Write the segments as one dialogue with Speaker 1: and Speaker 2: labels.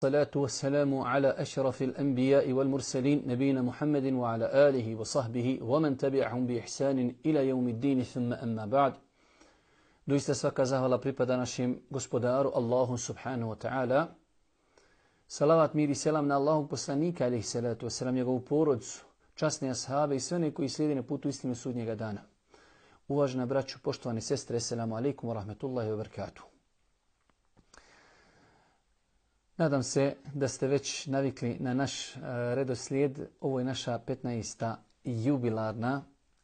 Speaker 1: الصلاة والسلام على أشرف الأنبياء والمرسلين نبينا محمد وعلى آله وصحبه ومن تبعهم بإحسان إلى يوم الدين ثم أما بعد. Doista svaka zahvala pripada našem gospodaru Allahu subhanahu wa ta'ala. Salavat, mir i selam na Allahog poslanika alejhi salatu vesselam, njegovu porodcu, časne ashabe i sve one koji slijede na putu istine sudnjega dana. Uvažena braćo, poštovane sestre, assalamu alaikum wa rahmetullahi wa barakatuh. Nadam se da ste već navikli na naš redoslijed. Ovo je naša 15.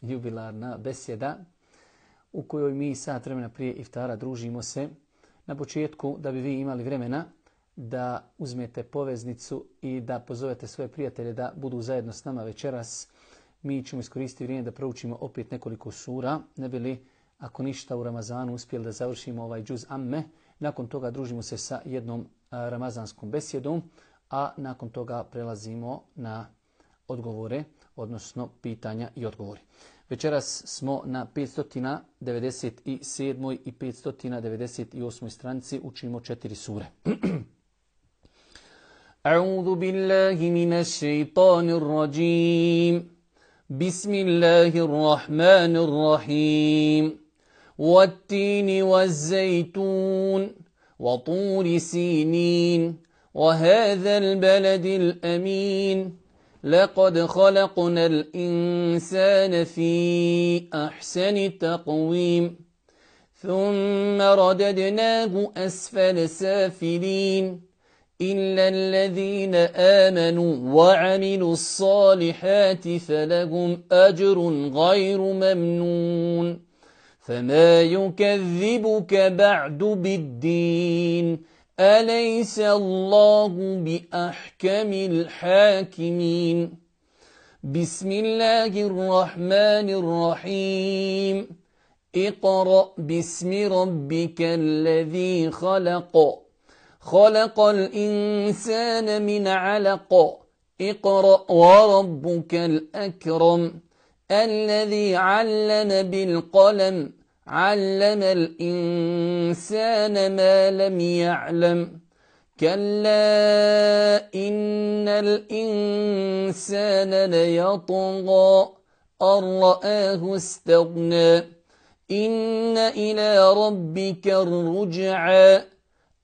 Speaker 1: jubilarna besjeda u kojoj mi sat vremena prije iftara družimo se. Na početku, da bi vi imali vremena da uzmete poveznicu i da pozovete svoje prijatelje da budu zajedno s nama večeras, mi ćemo iskoristiti vrijeme da proučimo opet nekoliko sura, ne bi li, ako ništa, u Ramazanu uspjeli da završimo ovaj džuz amme. Nakon toga družimo se sa jednom ramazanskom besjedom, a nakon toga prelazimo na odgovore, odnosno pitanja i odgovori. Večeras smo na 597. i 598. stranici, učimo 4 sure. A'udhu billahi minash shaitanir rajim. Bismillahirrahmanirrahim. والتين والزيتون وطور سينين وهذا البلد الأمين لقد خلقنا الإنسان في أحسن تقويم ثم رددناه أسفل سافلين إلا الذين آمنوا وعملوا الصالحات فلهم أجر غير ممنون فما يكذبك بعد بالدين أليس الله بأحكم الحاكمين بسم الله الرحمن الرحيم اقرأ باسم ربك الذي خلق خلق الإنسان من علق اقرأ وربك الأكرم الذي علم بالقلم علم الإنسان ما لم يعلم كلا إن الإنسان ليطغى أن رآه استغنى إن إلى ربك الرجعى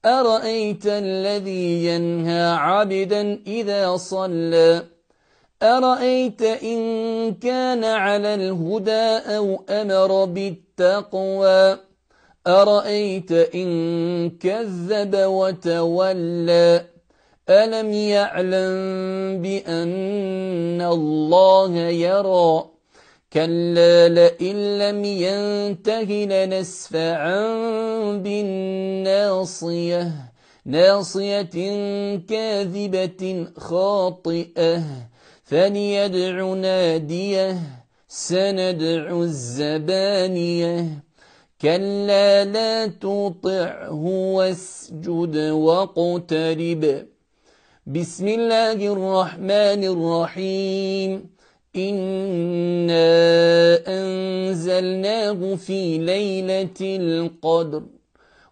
Speaker 1: أرأيت الذي ينهى عبدا إذا صلى أرأيت إن كان على الهدى أو أمر بالتقوى أرأيت إن كذب وتولى ألم يعلم بأن الله يرى كلا لئن لم ينته لنسفعا بالناصية ناصية كاذبة خاطئة فليدع ناديه سندع الزبانية كلا لا تطعه واسجد واقترب بسم الله الرحمن الرحيم إنا أنزلناه في ليلة القدر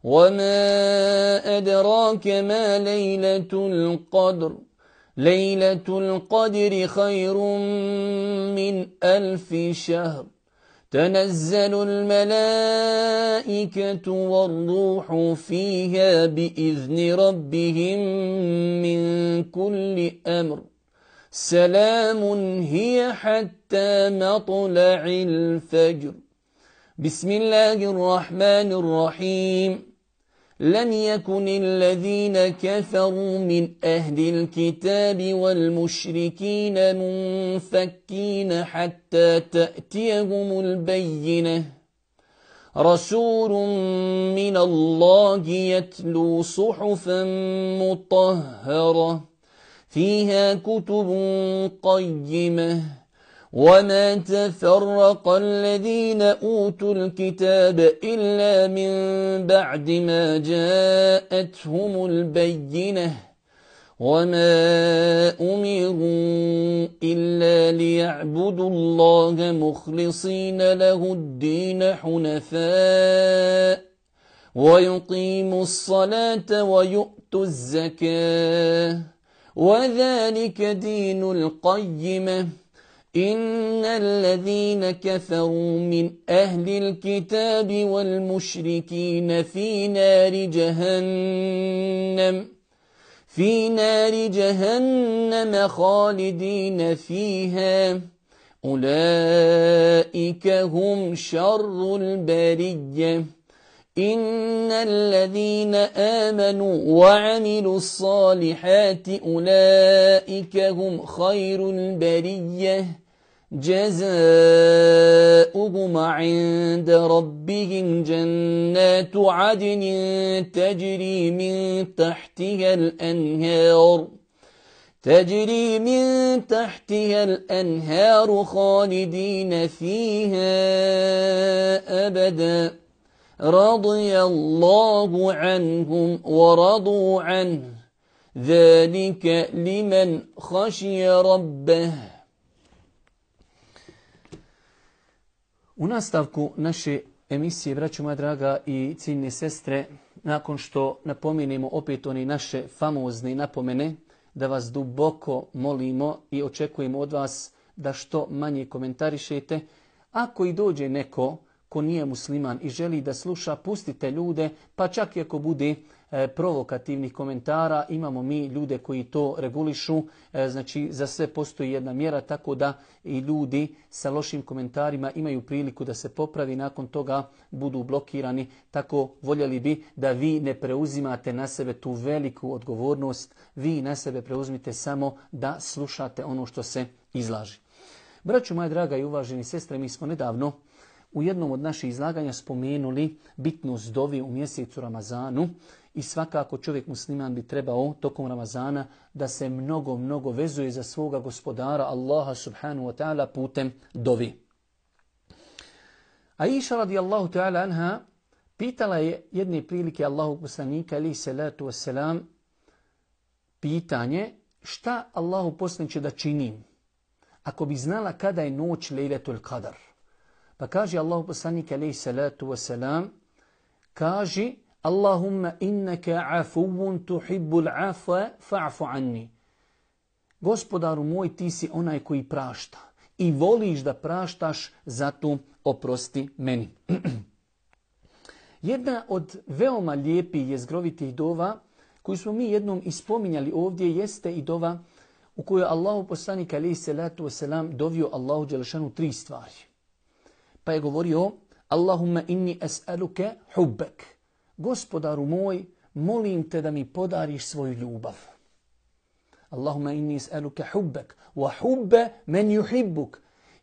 Speaker 1: وما أدراك ما ليلة القدر ليلة القدر خير من 1000 شهر تنزل الملائكة والروح فيها بإذن ربهم من كل أمر سلام هي حتى مطلع الفجر بسم الله الرحمن الرحيم لم يكن الذين كفروا من أهل الكتاب والمشركين منفكين حتى تأتيهم البينة رسول من الله يتلو صحفا مطهرة فيها كتب قيمة وما تفرق الذين أوتوا الكتاب إلا من بعد ما جاءتهم البينة وما أمروا إلا ليعبدوا الله مخلصين له الدين حنفاء
Speaker 2: ويقيموا الصلاة ويؤتوا الزكاة وذلك دين القيمة إن الذين كفروا من أهل الكتاب والمشركين في نار جهنم خالدين فيها أولئك هم شر البرية إن الذين آمنوا وعملوا الصالحات أولئك هم خير البرية جزاؤهم عند ربهم جنات عدن تجري من تحتها الأنهار خالدين فيها أبدا رضي الله عنهم ورضوا عنه ذلك لمن خشي ربه.
Speaker 1: U nastavku naše emisije, braćo moja draga i ciljne sestre, nakon što napomenemo opet one naše famozne napomene, da vas duboko molimo i očekujemo od vas da što manje komentarišete. Ako i dođe neko ko nije musliman i želi da sluša, pustite ljude, pa čak i ako bude provokativnih komentara, imamo mi ljude koji to regulišu, znači za sve postoji jedna mjera, tako da i ljudi sa lošim komentarima imaju priliku da se popravi, nakon toga budu blokirani. Tako voljeli bi da vi ne preuzimate na sebe tu veliku odgovornost, vi na sebe preuzmite samo da slušate ono što se izlaži. Braćo moja draga i uvaženi sestre, mi smo nedavno u jednom od naših izlaganja spomenuli bitnost dovi u mjesecu Ramazanu i svakako čovjek musliman bi trebao tokom Ramazana da se mnogo vezuje za svoga gospodara Allaha subhanahu wa ta'ala putem dovi. Aisha radijallahu ta'ala anha pitala je jedne prilike Allahog poslanika alejhi salatu vesselam pitanje: šta Allahu poslaniče da činim ako bi znala kada je noć Lejletul Qadar? Pa kaže Allahu poslanik alejhi salatu vesselam, kaže: Allahumma innaka afuwun tuhibbul afwa fa'fu anni. Gospodaru moj, ti si onaj koji prašta i voliš da praštaš, zato oprosti meni. Jedna od veoma lijepih jezgrovitih dova koju smo mi jednom ispominjali ovdje jeste i dova u kojoj Allahu poslanik alejhi salatu vesselam dovio Allahu dželešanu 3 stvari. Pa je govorio: Allahumma inni es'aluke hubbek. Gospodaru moj, molim te da mi podariš svoju ljubav. Allahumma inni es'aluke hubbek wa hubbe men yuhibbuk.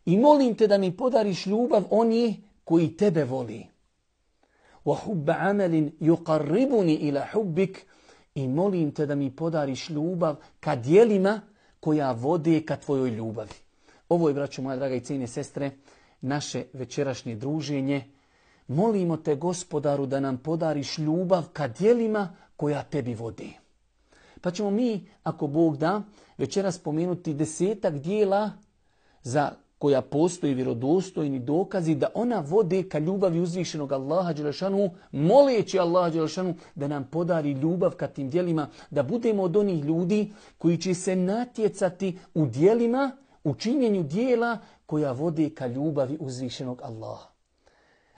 Speaker 1: I molim te da mi podariš ljubav oni koji tebe voli. Wa hubbe amelin yuqarribuni ila hubbik. I molim te da mi podariš ljubav ka djelima koja vode ka tvojoj ljubavi. Ovo je, braćo moja draga i cijenjene sestre, naše večerašnje druženje. Molimo te, gospodaru, da nam podariš ljubav ka djelima koja tebi vodi. Pa ćemo mi, ako Bog da, večeras spomenuti 10 djela za koja postoji vjerodostojni dokazi da ona vode ka ljubavi uzvišenog Allaha dželešanu, moleći Allaha dželešanu da nam podari ljubav ka tim djelima, da budemo od onih ljudi koji će se natjecati u djelima, u činjenju djela koja vode ka ljubavi uzvišenog Allaha.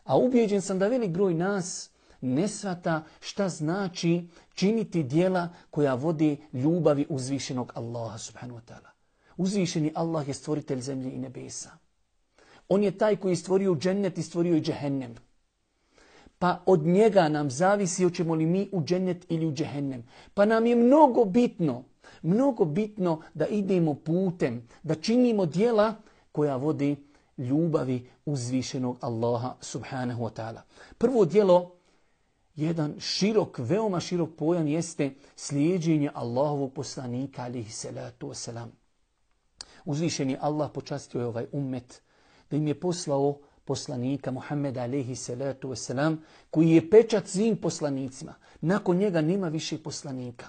Speaker 1: A ubijeđen sam da velik broj nas ne shvata šta znači činiti djela koja vode ljubavi uzvišenog Allaha subhanahu wa ta'ala. Uzvišeni Allah je stvoritelj zemlje i nebesa. On je taj koji je stvorio džennet i stvorio i džehennem. Pa od njega nam zavisi hoćemo li mi u džennet ili u džehennem. Pa nam je mnogo bitno da idemo putem, da činimo djela koja vodi ljubavi uzvišenog Allaha subhanahu wa ta'ala. Prvo djelo, jedan veoma širok pojam jeste slijeđenje Allahovog poslanika alejhi salatu vesselam. Uzvišeni Allah počastio je ovaj ummet da im je poslao poslanika Muhammeda alejhi salatu vesselam koji je pečat svim poslanicima. Nakon njega nema više poslanika.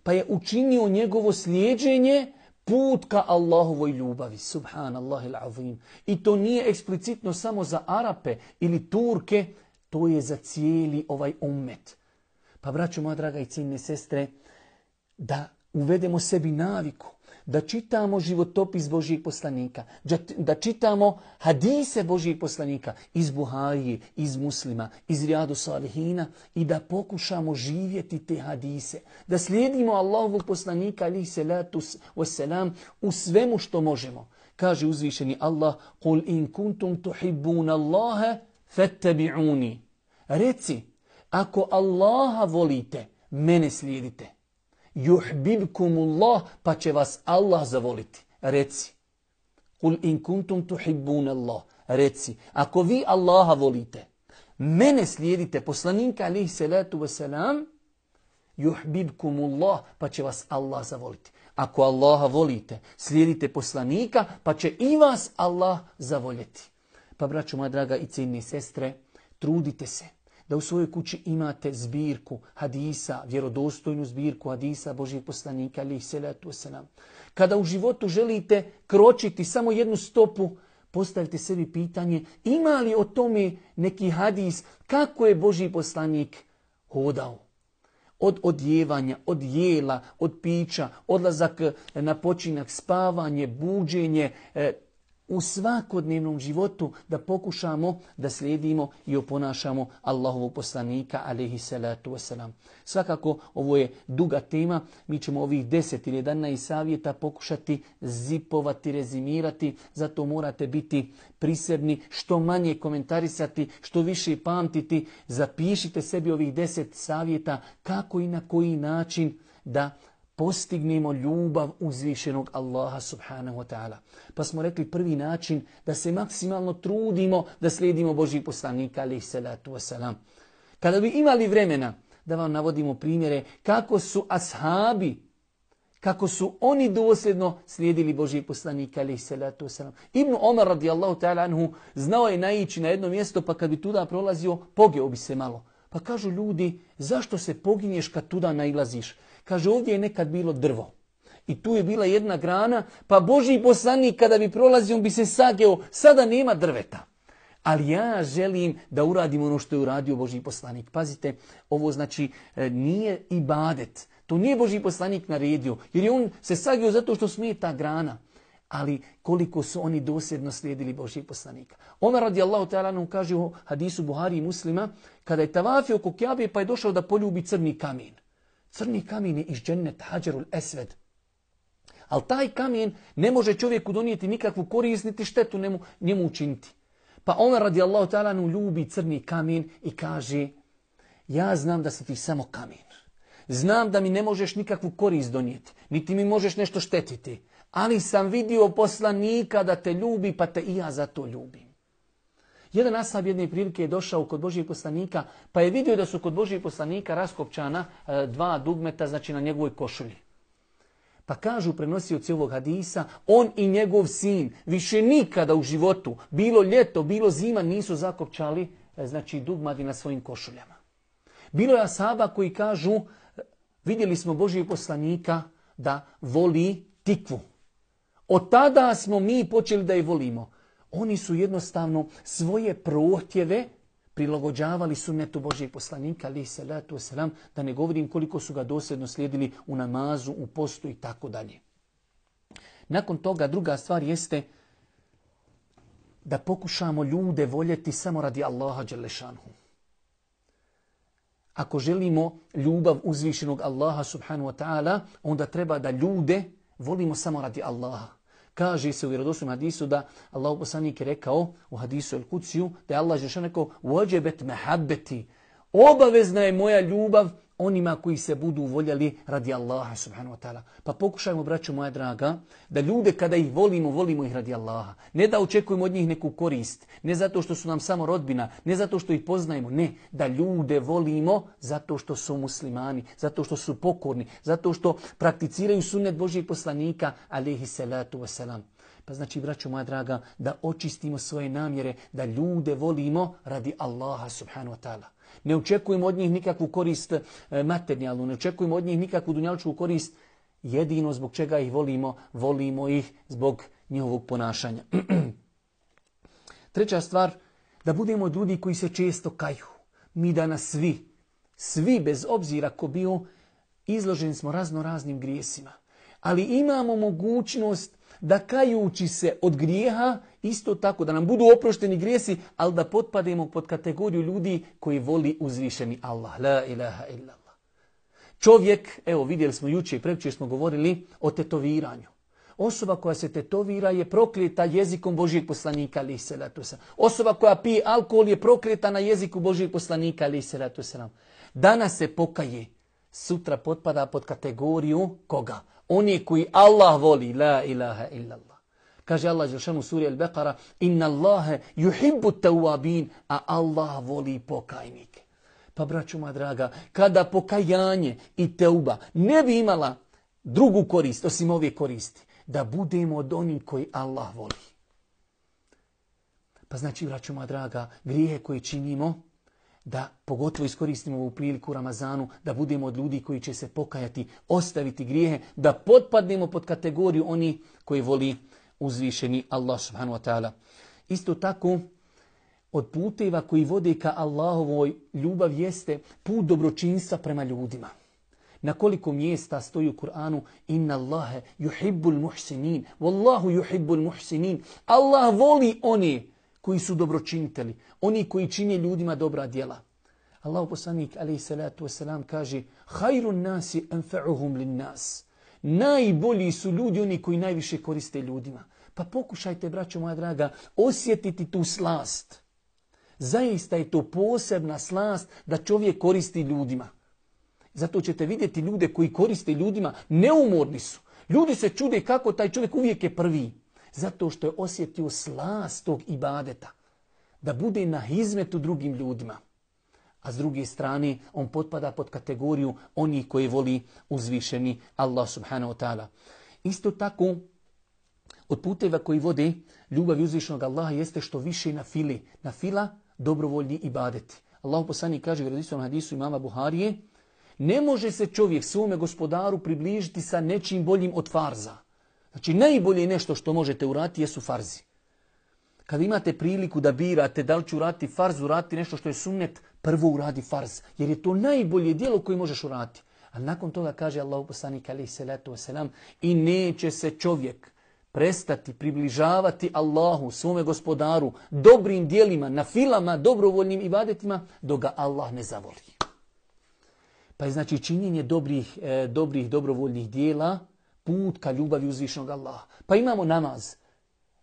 Speaker 1: Pa je učinio njegovo slijeđenje put ka Allahovoj ljubavi. Subhanallahil azim. I to nije eksplicitno samo za Arape ili Turke. To je za cijeli ovaj ummet. Pa braćo moja draga i cijenine sestre, da uvedemo sebi naviku, da čitamo životopis Božijeg poslanika, da čitamo hadise Božijeg poslanika iz Buharije, iz Muslima, iz Rijadu Salihina i da pokušamo živjeti te hadise, da slijedimo Allahovog poslanika alejhi salatu vesselam u svemu što možemo. Kaže uzvišeni Allah: "Kul in kuntum tuhibbuna Allaha fattabi'uni." Reci, ako Allaha volite, mene slijedite. Yuhbibkumullah, pa će vas Allah zavoliti. Reci. Kul in kuntum tuhibbuna Allah. Reci, ako vi Allaha volite, mene slijedite, poslanika alejhi salatu vesselam, yuhbibkumullah, pa će vas Allah zavoliti. Ako Allaha volite, slijedite poslanika, pa će i vas Allah zavoljeti. Pa braćo moja draga i cijenine sestre, trudite se da u svojoj kući imate zbirku hadisa, vjerodostojnu zbirku hadisa Božijeg poslanika alejhi salatu vesselam. Kada u životu želite kročiti samo jednu stopu, postavite sebi pitanje: ima li o tome neki hadis kako je Božji poslanik hodao? Od odjevanja, od jela, od pića, odlazak na počinak, spavanje, buđenje, u svakodnevnom životu da pokušamo da slijedimo i oponašamo Allahovog poslanika alejhi salatu vesselam. Svakako ovo je duga tema, mi ćemo ovih 10 ili 11 savjeta pokušati zipovati, rezimirati, zato morate biti prisebni, što manje komentarisati, što više pamtiti. Zapišite sebi ovih 10 savjeta kako i na koji način da postignemo ljubav uzvišenog Allaha subhanahu wa ta'ala. Pa smo rekli prvi način da se maksimalno trudimo da slijedimo Božji poslanika alejhi salatu vesselam. Kada bi imali vremena da vam navodimo primjere kako su ashabi, kako su oni dosljedno slijedili Božji poslanika alejhi salatu vesselam. Ibn Omar radijallahu ta'ala anhu znao je naići na jedno mjesto, pa kad bi tuda prolazio, pogeo bi se malo. Pa kažu ljudi: zašto se poginješ kad tuda nailaziš? Kaže, ovdje je nekad bilo drvo i tu je bila jedna grana, pa Božji poslanik kada bi prolazio on bi se sageo, sada nema drveta. Ali ja želim da uradim ono što je uradio Božji poslanik. Pazite, ovo znači nije ibadet. To nije Božji poslanik naredio, jer je on se sageo zato što smeta grana. Ali koliko su oni dosljedno slijedili Božjeg poslanika. Omer radijallahu ta'ala anhu kaže u hadisu Buhari i Muslima, kada je tavafio oko Kjabe pa je došao da poljubi crni kamen. Crni kamen je iz dženneta, Hadžerul Esved. Ali taj kamen ne može čovjeku donijeti nikakvu korist, niti štetu njemu učiniti. Pa Omer radijallahu ta'ala anhu ljubi crni kamen i kaže: ja znam da si ti samo kamen. Znam da mi ne možeš nikakvu korist donijeti, niti mi možeš nešto štetiti. Ali sam vidio poslanika da te ljubi, pa te i ja zato ljubim. Jedan ashab jedne prilike je došao kod Božijeg poslanika, pa je vidio da su kod Božijeg poslanika raskopčana 2 dugmeta, znači na njegovoj košulji. Pa kažu prenosioci ovog hadisa, on i njegov sin više nikada u životu, bilo ljeto, bilo zima, nisu zakopčali znači dugmati na svojim košuljama. Bilo je ashaba koji kažu, vidjeli smo Božijeg poslanika da voli tikvu. Od tada smo mi počeli da je volimo. Oni su jednostavno svoje prohtjeve prilagođavali sunnetu Božijeg poslanika alejhi salatu vesselam, da ne govorim koliko su ga dosljedno slijedili u namazu, u postu i tako dalje. Nakon toga druga stvar jeste da pokušamo ljude voljeti samo radi Allaha dželle šanhu. Ako želimo ljubav uzvišenog Allaha subhanahu wa ta'ala, onda treba da ljude volimo samo radi Allaha. Kaže se u vjerodostojnom hadisu da Allahov poslanik je rekao u hadisu El Kudsiju da je Allah dželle rekao: "Wajibat mahabbati", obavezna je moja ljubav onima koji se budu voljeli radi Allaha subhanahu wa ta'ala. Pa pokušajmo, braćo moja draga, da ljude kada ih volimo, volimo ih radi Allaha. Ne da očekujemo od njih neku korist, ne zato što su nam samo rodbina, ne zato što ih poznajemo, ne, da ljude volimo zato što su muslimani, zato što su pokorni, zato što prakticiraju sunnet Božjeg poslanika alejhi salatu vesselam. Pa znači, braćo moja draga, da očistimo svoje namjere, da ljude volimo radi Allaha subhanahu wa ta'ala. Ne očekujemo od njih nikakvu korist materijalnu, ne očekujemo od njih nikakvu dunjalučku korist. Jedino zbog čega ih volimo, volimo ih zbog njihovog ponašanja. Treća stvar, da budemo ljudi koji se često kaju. Mi danas svi bez obzira ko bio, izloženi smo raznim grijesima. Ali imamo mogućnost da kajući se od grijeha, isto tako da nam budu oprošteni grijesi, ali da potpademo pod kategoriju ljudi koji voli uzvišeni Allah. La ilaha illallah. Čovjek, evo vidjeli smo jučer i prekjučer smo govorili o tetoviranju. Osoba koja se tetovira je prokleta jezikom Božijeg poslanika, alejhi selatu vesselam. Osoba koja pije alkohol je prokleta na jeziku Božijeg poslanika, alejhi selatu vesselam. Danas se pokaje, sutra potpada pod kategoriju koga? Oni koji Allah voli, la ilaha illallah. Kaže Allah dželešanu u suri Al-Baqara, inna Allahe yuhibbu tawabin, a Allah voli pokajnike. Pa braćo moja draga, kada pokajanje i teuba ne bi imala drugu korist, osim ove koristi, da budemo od onih koji Allah voli. Pa znači, braćo moja draga, grijehe koje činimo, da pogotovo iskoristimo ovu priliku u Ramazanu, da budemo od ljudi koji će se pokajati, ostaviti grijehe, da potpadnemo pod kategoriju oni koji voli uzvišeni Allah subhanahu wa ta'ala. Isto tako, od puteva koji vode ka Allahovoj ljubav jeste put dobročinstva prema ljudima. Na koliko mjesta stoji u Kur'anu inna Allahe yuhibbul muhsinin, wallahu yuhibbul muhsinin. Allah voli one koji su dobročinitelji, oni koji čine ljudima dobra djela. Allahu poslanik alejhi salatu vesselam kaže: "Khairun nasi anfa'uhum lin-nas." Najbolji su ljudi oni koji najviše koriste ljudima. Pa pokušajte, braćo moja draga, osjetiti tu slast. Zaista je to posebna slast da čovjek koristi ljudima. Zato ćete vidjeti ljude koji koriste ljudima, neumorni su. Ljudi se čude kako taj čovjek uvijek je prvi. Zato što je osjetio slast tog ibadeta. Da bude na hizmetu drugim ljudima. A s druge strane, on potpada pod kategoriju onih koji voli uzvišeni Allah subhanahu wa ta'ala. Isto tako, od puteva koji vode ljubavi uzvišenog Allaha jeste što više na fili. Na fila dobrovoljni ibadeti. Allahu poslanik kaže u vjerodostojnom hadisu imama Buharije: ne može se čovjek svome gospodaru približiti sa nečim boljim od farza. Znači najbolje nešto što možete uraditi jesu farzi. Kada imate priliku da birate da li ću uraditi farz, uraditi nešto što je sunnet, prvo uradi farz. Jer je to najbolje djelo koje možeš uraditi. A nakon toga kaže Allahu poslanik alejhi selatu vesselam: i neće se čovjek prestati približavati Allahu, svome gospodaru, dobrim djelima, na filama, dobrovoljnim ibadetima, dok ga Allah ne zavoli. Pa je znači činjenje dobrih dobrovoljnih dijela put ka ljubavi uzvišenog Allaha. Pa imamo namaz,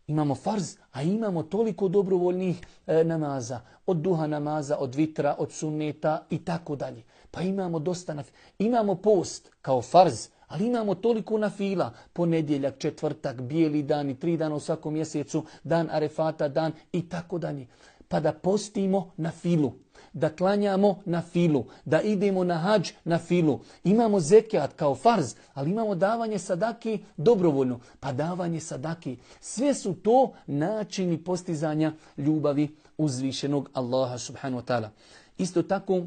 Speaker 1: imamo farz, a imamo toliko dobrovoljnih namaza. Od duha namaza, od vitra, od sunneta i tako dalje. Pa imamo dosta imamo post kao farz, ali imamo toliko nafila. Ponedjeljak, četvrtak, bijeli dan i 3 dana u svakom mjesecu, dan Arefata, dan i tako dalje. Pa da postimo na filu, da klanjamo na filu, da idemo na hadž na filu. Imamo zekijat kao farz, ali imamo davanje sadaki dobrovoljno. Pa davanje sadaki. Sve su to načini postizanja ljubavi uzvišenog Allaha subhanahu wa ta'ala. Isto tako,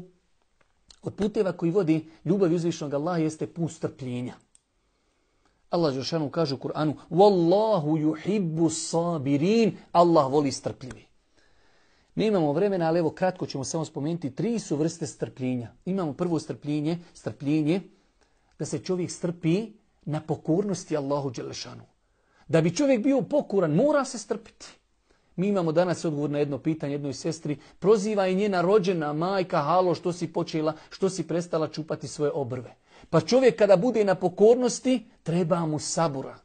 Speaker 1: od puteva koji vodi ljubavi uzvišenog Allaha jeste put strpljenja. Allah dželešanu kaže u Kur'anu: "Wallahu yuhibbu sabirin." Allah voli strpljivi. Mi imamo vremena, ali evo kratko ćemo samo spomenuti 3 su vrste strpljenja. Imamo prvo strpljenje da se čovjek strpi na pokornosti Allahu dželešanu. Da bi čovjek bio pokoran, mora se strpiti. Mi imamo danas odgovor na jedno pitanje jednoj sestri. Proziva i njena rođena majka: halo, što si počela, što si prestala čupati svoje obrve. Pa čovjek kada bude na pokornosti, treba mu sabura.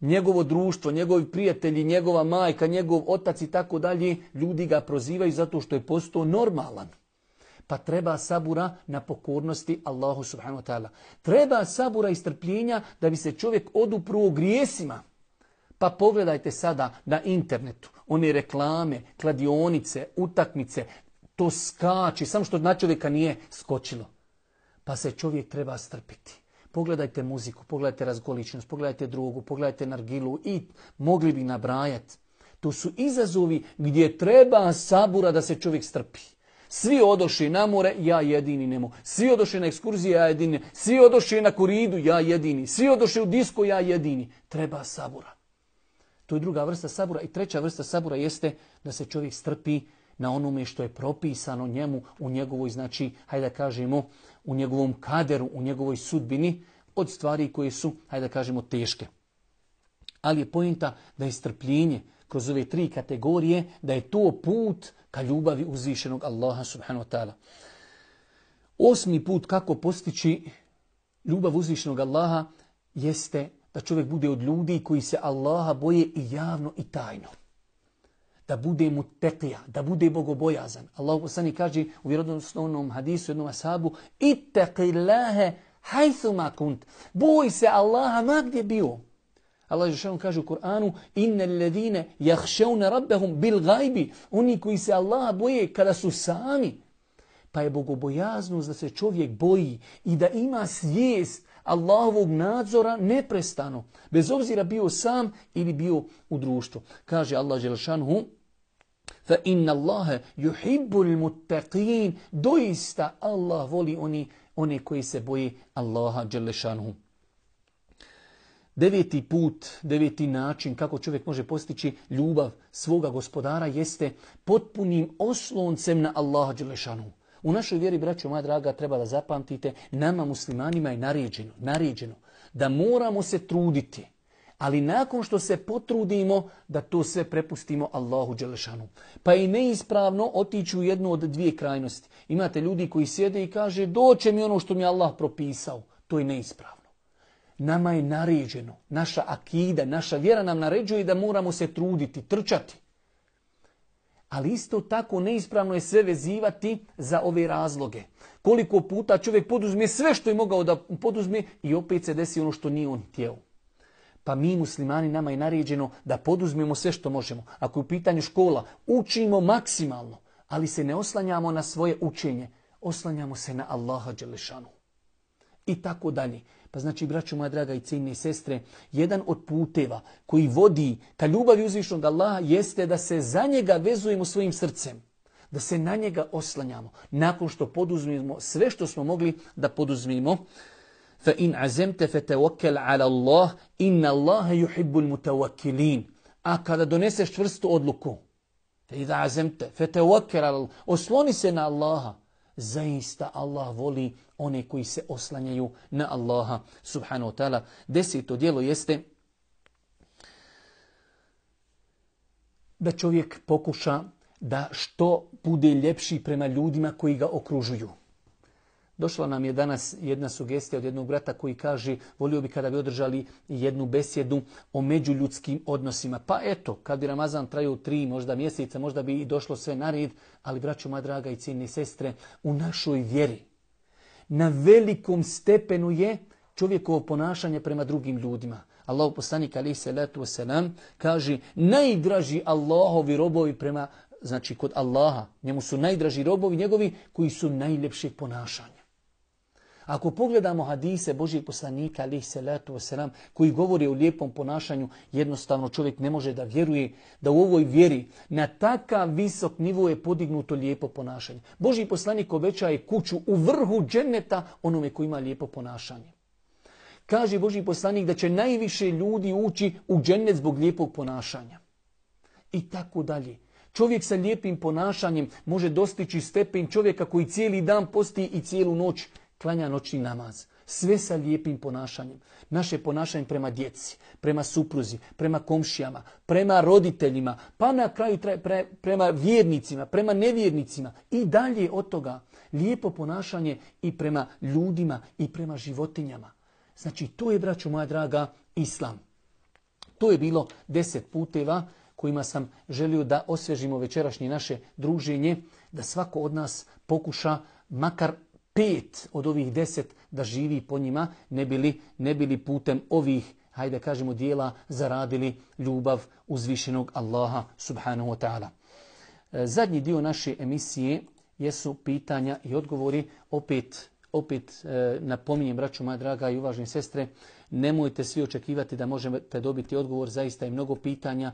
Speaker 1: Njegovo društvo, njegovi prijatelji, njegova majka, njegov otac i tako dalje, ljudi ga prozivaju zato što je postao normalan. Pa treba sabura na pokornosti Allahu subhanahu wa ta'ala. Treba sabura i strpljenja da bi se čovjek odupruo grijesima. Pa pogledajte sada na internetu, one reklame, kladionice, utakmice, to skači, samo što na čovjeka nije skočilo. Pa se čovjek treba strpiti. Pogledajte muziku, pogledajte razgoličnost, pogledajte drugu, pogledajte nargilu i mogli bi nabrajati. To su izazovi gdje treba sabura da se čovjek strpi. Svi odoše na more, ja jedini ne mogu. Svi odoše na ekskurzije, ja jedini. Svi odoše na koridu, ja jedini. Svi odoše u disko, ja jedini. Treba sabura. To je druga vrsta sabura. I treća vrsta sabura jeste da se čovjek strpi na onome što je propisano njemu u njegovoj, znači, hajde da kažemo, u njegovom kaderu, u njegovoj sudbini, od stvari koje su, hajde da kažemo, teške. Ali je pointa da je strpljenje kroz ove 3 kategorije, da je to put ka ljubavi uzvišenog Allaha subhanahu wa ta'ala. 8. put kako postići ljubav uzvišenog Allaha jeste da čovjek bude od ljudi koji se Allaha boje i javno i tajno. Da bude mutekija, da bude bogobojazan. Allah poslanik kaže u vjerodostojnom hadisu jednom ashabu: ittaqillaha haythuma kunt. Boj se Allaha ma gdje bio. Allah dželle kaže u Kur'anu: innal ladine yakhshawna rabbahum bil ghaibi. Oni koji se Allaha boje kada su sami. Pa je bogobojaznost da se čovjek boji i da ima svijest Allahovog nadzora neprestano, bez obzira bio sam ili bio u društvu. Kaže Allah dželle šanehu: fa inna Allaha yuhibbul muttaqin. Doista Allah voli one koji se boje Allaha dželle šanehu. 9. put, 9. način kako čovjek može postići ljubav svoga gospodara jeste potpunim osloncem na Allaha dželle šanehu. U našoj vjeri, braćo moja draga, treba da zapamtite, nama muslimanima je naređeno da moramo se truditi, ali nakon što se potrudimo da to sve prepustimo Allahu dželle šanehu. Pa je neispravno otići u jednu od 2 krajnosti. Imate ljudi koji sjede i kaže: doće mi ono što mi Allah propisao. To je neispravno. Nama je naređeno, naša akida, naša vjera nam naređuje da moramo se truditi, trčati. Ali isto tako neispravno je sve vezivati za ove razloge. Koliko puta čovjek poduzme sve što je mogao da poduzme i opet se desi ono što nije on htjeo. Pa mi muslimani, nama je naređeno da poduzmemo sve što možemo. Ako je u pitanju škola, učimo maksimalno, ali se ne oslanjamo na svoje učenje. Oslanjamo se na Allaha dželle šanehu. I tako dalje. Pa znači, braćo moja draga i cijenjene sestre, jedan od puteva koji vodi ka ljubavi uzvišenog Allaha jeste da se za njega vezujemo svojim srcem. Da se na njega oslanjamo. Nakon što poduzmemo sve što smo mogli da poduzmemo. Fa in azamta fatawakkal ala Allah, inna Allaha yuhibbul mutawakkilin. A kada doneseš čvrstu odluku, fa idha azamta fatawakkal ala Allah, osloni se na Allaha. Zaista Allah voli one koji se oslanjaju na Allaha subhanahu wa ta'ala. 10. djelo jeste da čovjek pokuša da što bude ljepši prema ljudima koji ga okružuju. Došla nam je danas jedna sugestija od jednog brata koji kaže: volio bi kada bi održali jednu besjedu o međuljudskim odnosima. Pa eto, kad bi Ramazan trajao 3 možda mjeseca, možda bi i došlo sve na red, ali braćo moja draga i cijenjene sestre, u našoj vjeri na velikom stepenu je čovjekovo ponašanje prema drugim ljudima. Allahu poslanik alejhi salatu vesselam kaže: najdraži Allahovi robovi prema, znači kod Allaha, njemu su najdraži robovi njegovi koji su najljepšeg ponašanja. Ako pogledamo hadise Božijeg poslanika alejhi salatu vesselam koji govore o lijepom ponašanju, jednostavno čovjek ne može da vjeruje da u ovoj vjeri na takav visok nivo je podignuto lijepo ponašanje. Božji poslanik obećaje kuću u vrhu dženneta onome koji ima lijepo ponašanje. Kaže Božji poslanik da će najviše ljudi ući u džennet zbog lijepog ponašanja. I tako dalje. Čovjek sa lijepim ponašanjem može dostići stepen čovjeka koji cijeli dan posti i cijelu noć klanja noćni namaz. Sve sa lijepim ponašanjem. Naše ponašanje prema djeci, prema supruzi, prema komšijama, prema roditeljima, pa na kraju prema vjernicima, prema nevjernicima i dalje od toga. Lijepo ponašanje i prema ljudima i prema životinjama. Znači, to je, braćo moja draga, Islam. To je bilo 10 puteva kojima sam želio da osvježimo večerašnje naše druženje, da svako od nas pokuša makar 5 od ovih 10 da živi po njima, ne bili putem ovih, hajde kažemo, dijela zaradili ljubav uzvišenog Allaha subhanahu wa ta'ala. Zadnji dio naše emisije jesu pitanja i odgovori. Opet napominjem, braćo moja draga i uvažene sestre, nemojte svi očekivati da možete dobiti odgovor, zaista je mnogo pitanja.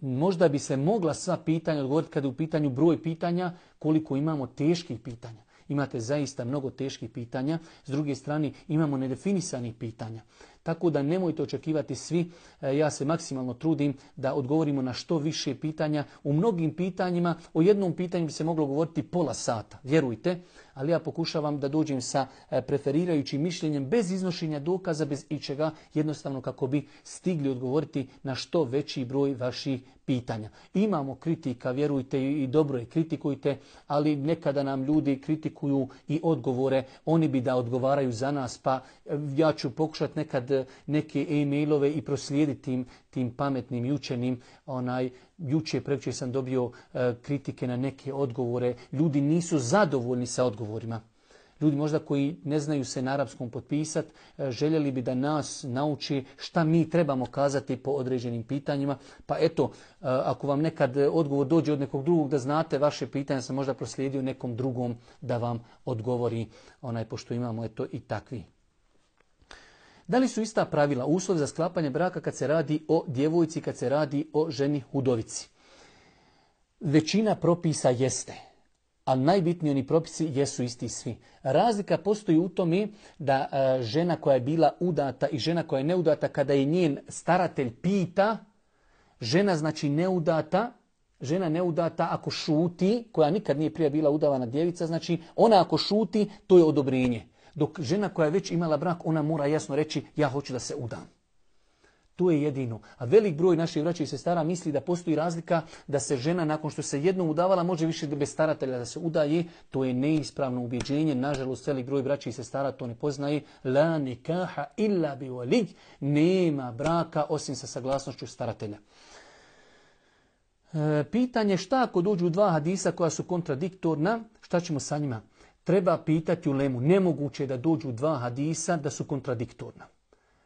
Speaker 1: Možda bi se mogla sva pitanja odgovoriti kada je u pitanju broj pitanja, koliko imamo teških pitanja. Imate zaista mnogo teških pitanja. S druge strane, imamo nedefinisanih pitanja. Tako da nemojte očekivati svi. Ja se maksimalno trudim da odgovorimo na što više pitanja. U mnogim pitanjima, o jednom pitanju bi se moglo govoriti pola sata, vjerujte. Ali ja pokušavam da dođem sa preferirajućim mišljenjem bez iznošenja dokaza, bez ičega, jednostavno kako bi stigli odgovoriti na što veći broj vaših pitanja. Imamo kritika, vjerujte, i dobro je, kritikujte, ali nekada nam ljudi kritikuju i odgovore, oni bi da odgovaraju za nas, pa ja ću pokušati nekad neke e-mailove i proslijediti tim pametnim i učenim. Prekjučer sam dobio kritike na neke odgovore. Ljudi nisu zadovoljni sa odgovorima. Ljudi možda koji ne znaju se na arapskom potpisati, željeli bi da nas nauči šta mi trebamo kazati po određenim pitanjima. Pa eto, ako vam nekad odgovor dođe od nekog drugog, da znate vaše pitanje, sam možda proslijedio nekom drugom da vam odgovori, pošto imamo eto i takvi. Da li su ista pravila, uslov za sklapanje braka kad se radi o djevojci, kad se radi o ženi udovici? Većina propisa jeste, ali najbitniji oni propisi jesu isti svi. Razlika postoji u tome da žena koja je bila udata i žena koja je neudata, kada je njen staratelj pita, žena znači neudata, žena neudata ako šuti, koja nikad nije prije bila udavana djevica, znači ona ako šuti, to je odobrenje. Dok žena koja je već imala brak, ona mora jasno reći ja hoću da se udam. To je jedino. A velik broj naših braća i sestara misli da postoji razlika da se žena nakon što se jednom udavala može više bez staratelja da se udaje. To je neispravno ubjeđenje. Nažalost, velik broj braća i sestara to ne poznaje. La nikaha illa bi walij. Nema braka osim sa saglasnošću staratelja. Pitanje šta ako dođu dva hadisa koja su kontradiktorna, šta ćemo sa njima? Treba pitati ulemu. Nemoguće je da dođu dva hadisa da su kontradiktorna.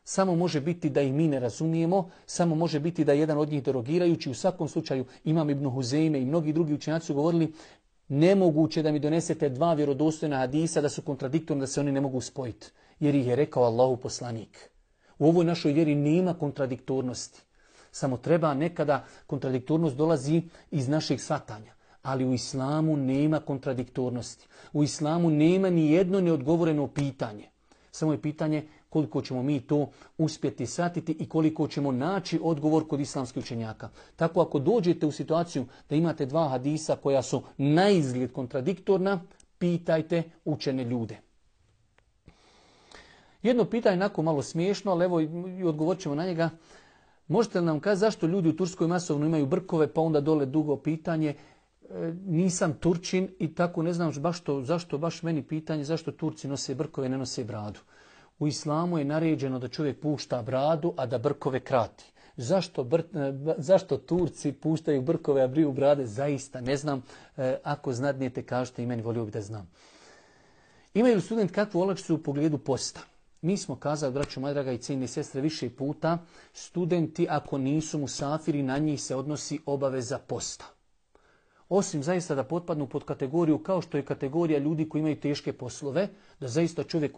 Speaker 1: Samo može biti da ih mi ne razumijemo, samo može biti da je jedan od njih derogirajući. U svakom slučaju Imam Ibn Huzejme i mnogi drugi učenjaci su govorili nemoguće da mi donesete dva vjerodostojna hadisa da su kontradiktorni, da se oni ne mogu spojiti. Jer ih je rekao Allahu poslanik. U ovoj našoj vjeri nema kontradiktornosti. Samo treba nekada kontradiktornost dolazi iz našeg shvatanja. Ali u islamu nema kontradiktornosti. U islamu nema ni jedno neodgovoreno pitanje. Samo je pitanje koliko ćemo mi to uspjeti shvatiti i koliko ćemo naći odgovor kod islamskih učenjaka. Tako ako dođete u situaciju da imate dva hadisa koja su na izgled kontradiktorna, pitajte učene ljude. Jedno pitanje onako malo smiješno, ali evo i odgovorit ćemo na njega. Možete li nam kazati zašto ljudi u Turskoj masovno imaju brkove, pa onda dole dugo pitanje? Nisam Turčin i tako ne znam zašto baš meni pitanje zašto Turci nose brkove, ne nose bradu. U islamu je naređeno da čovjek pušta bradu, a da brkove krati. Zašto Turci puštaju brkove, a briju brade? Zaista ne znam. Ako znadnijete, kažete i meni, volio bih da znam. Imaju li student kakvu olakšicu u pogledu posta? Mi smo kazali, braćo moja draga i cijenine sestre, više puta, studenti ako nisu musafiri, na njih se odnosi obaveza posta. Osim zaista da potpadnu pod kategoriju kao što je kategorija ljudi koji imaju teške poslove, da zaista čovjek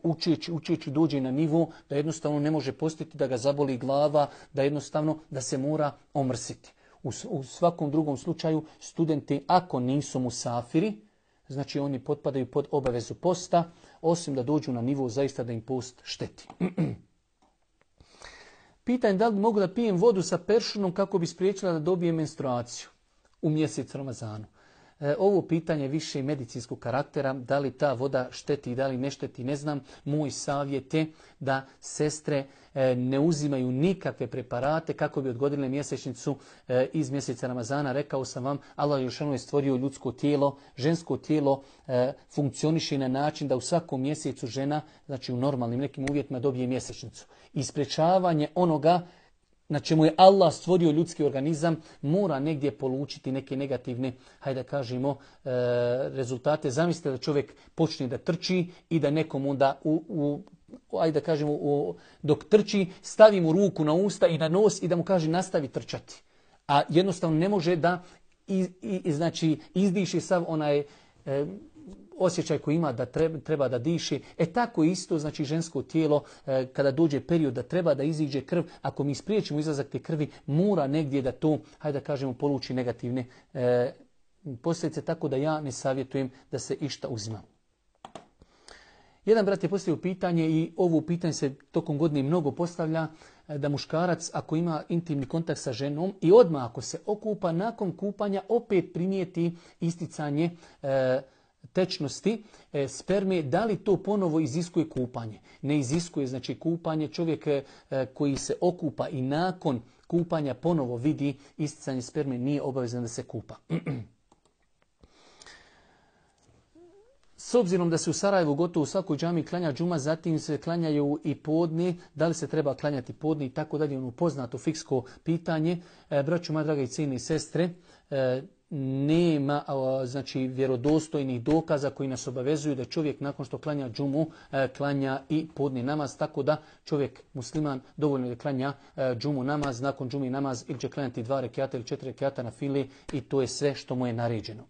Speaker 1: učeći dođe na nivo da jednostavno ne može postiti, da ga zaboli glava, da jednostavno da se mora omrsiti. U svakom drugom slučaju studenti ako nisu musafiri, znači oni potpadaju pod obavezu posta, osim da dođu na nivo zaista da im post šteti. Pitanje da li mogu da pijem vodu sa peršunom kako bi spriječila da dobijem menstruaciju u mjesec Ramazanu. Ovo pitanje više medicinskog karaktera, da li ta voda šteti i da li ne šteti, ne znam. Moj savjet je da sestre ne uzimaju nikakve preparate kako bi odgodile mjesečnicu iz mjeseca Ramazana. Rekao sam vam, Allah je stvorio ljudsko tijelo, žensko tijelo funkcioniše na način da u svakom mjesecu žena, znači u normalnim nekim uvjetima, dobije mjesečnicu. I sprečavanje onoga na čemu je Allah stvorio ljudski organizam, mora negdje polučiti neke negativne, hajde da kažemo, rezultate. Zamislite da čovjek počne da trči i da nekom onda, hajde da kažemo, dok trči, stavi mu ruku na usta i na nos i da mu kaže nastavi trčati. A jednostavno ne može da znači, izdiši sav onaj osjećaj koji ima da treba da diši. Tako isto, znači žensko tijelo, kada dođe period da treba da iziđe krv, ako mi spriječimo izlazak te krvi, mora negdje da to, hajde da kažemo, poluči negativne posljedice, tako da ja ne savjetujem da se išta uzima. Jedan brat je postavio pitanje i ovo pitanje se tokom godine mnogo postavlja, da muškarac ako ima intimni kontakt sa ženom i odmah ako se okupa, nakon kupanja opet primijeti isticanje tečnosti sperme, da li to ponovo iziskuje kupanje? Ne iziskuje, znači kupanje. Čovjek koji se okupa i nakon kupanja ponovo vidi isticanje sperme, nije obavezan da se kupa. S obzirom da se u Sarajevu gotovo u svakoj džami klanja džuma, zatim se klanjaju i podne, da li se treba klanjati podne i tako dalje, ono poznato fiksko pitanje. Braćo moja draga i cijene sestre, nema znači vjerodostojnih dokaza koji nas obavezuju da čovjek nakon što klanja džumu klanja i podni namaz, tako da čovjek musliman dovoljno da klanja džumu namaz, nakon džumi namaz ili će klanjati 2 rekata ili 4 rekata na fili i to je sve što mu je naređeno.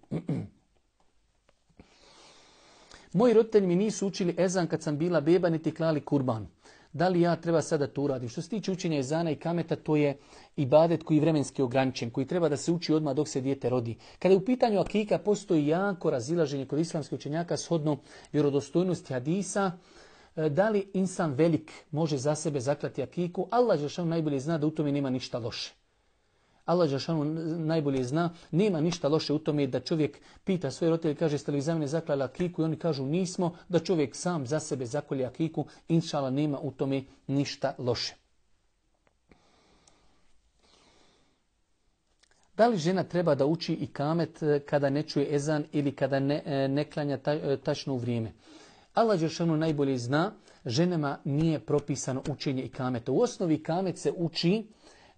Speaker 1: Moji roditelji mi nisu učili ezan kad sam bila beba niti klali kurban. Da li ja treba sada to uradim? Što se tiče učenja ezana i kameta, to je ibadet koji je vremenski ograničen, koji treba da se uči odmah dok se dijete rodi. Kada je u pitanju akika, postoji jako razilaženje kod islamskih učenjaka shodno vjerodostojnosti hadisa. Da li insan velik može za sebe zaklati akiku? Allah dželešanu najbolje zna da u tome nema ništa loše. Allah dželešanu najbolje zna, nema ništa loše u tome da čovjek pita svoje roditelje, kaže jeste li za mene zaklali akiku i oni kažu nismo, da čovjek sam za sebe zakolje akiku, inšala nema u tome ništa loše. Da li žena treba da uči i kamet kada ne čuje ezan ili kada ne klanja tačno u vrijeme? Allah dželešanu najbolje zna, ženama nije propisano učenje i kameta. U osnovi kamet se uči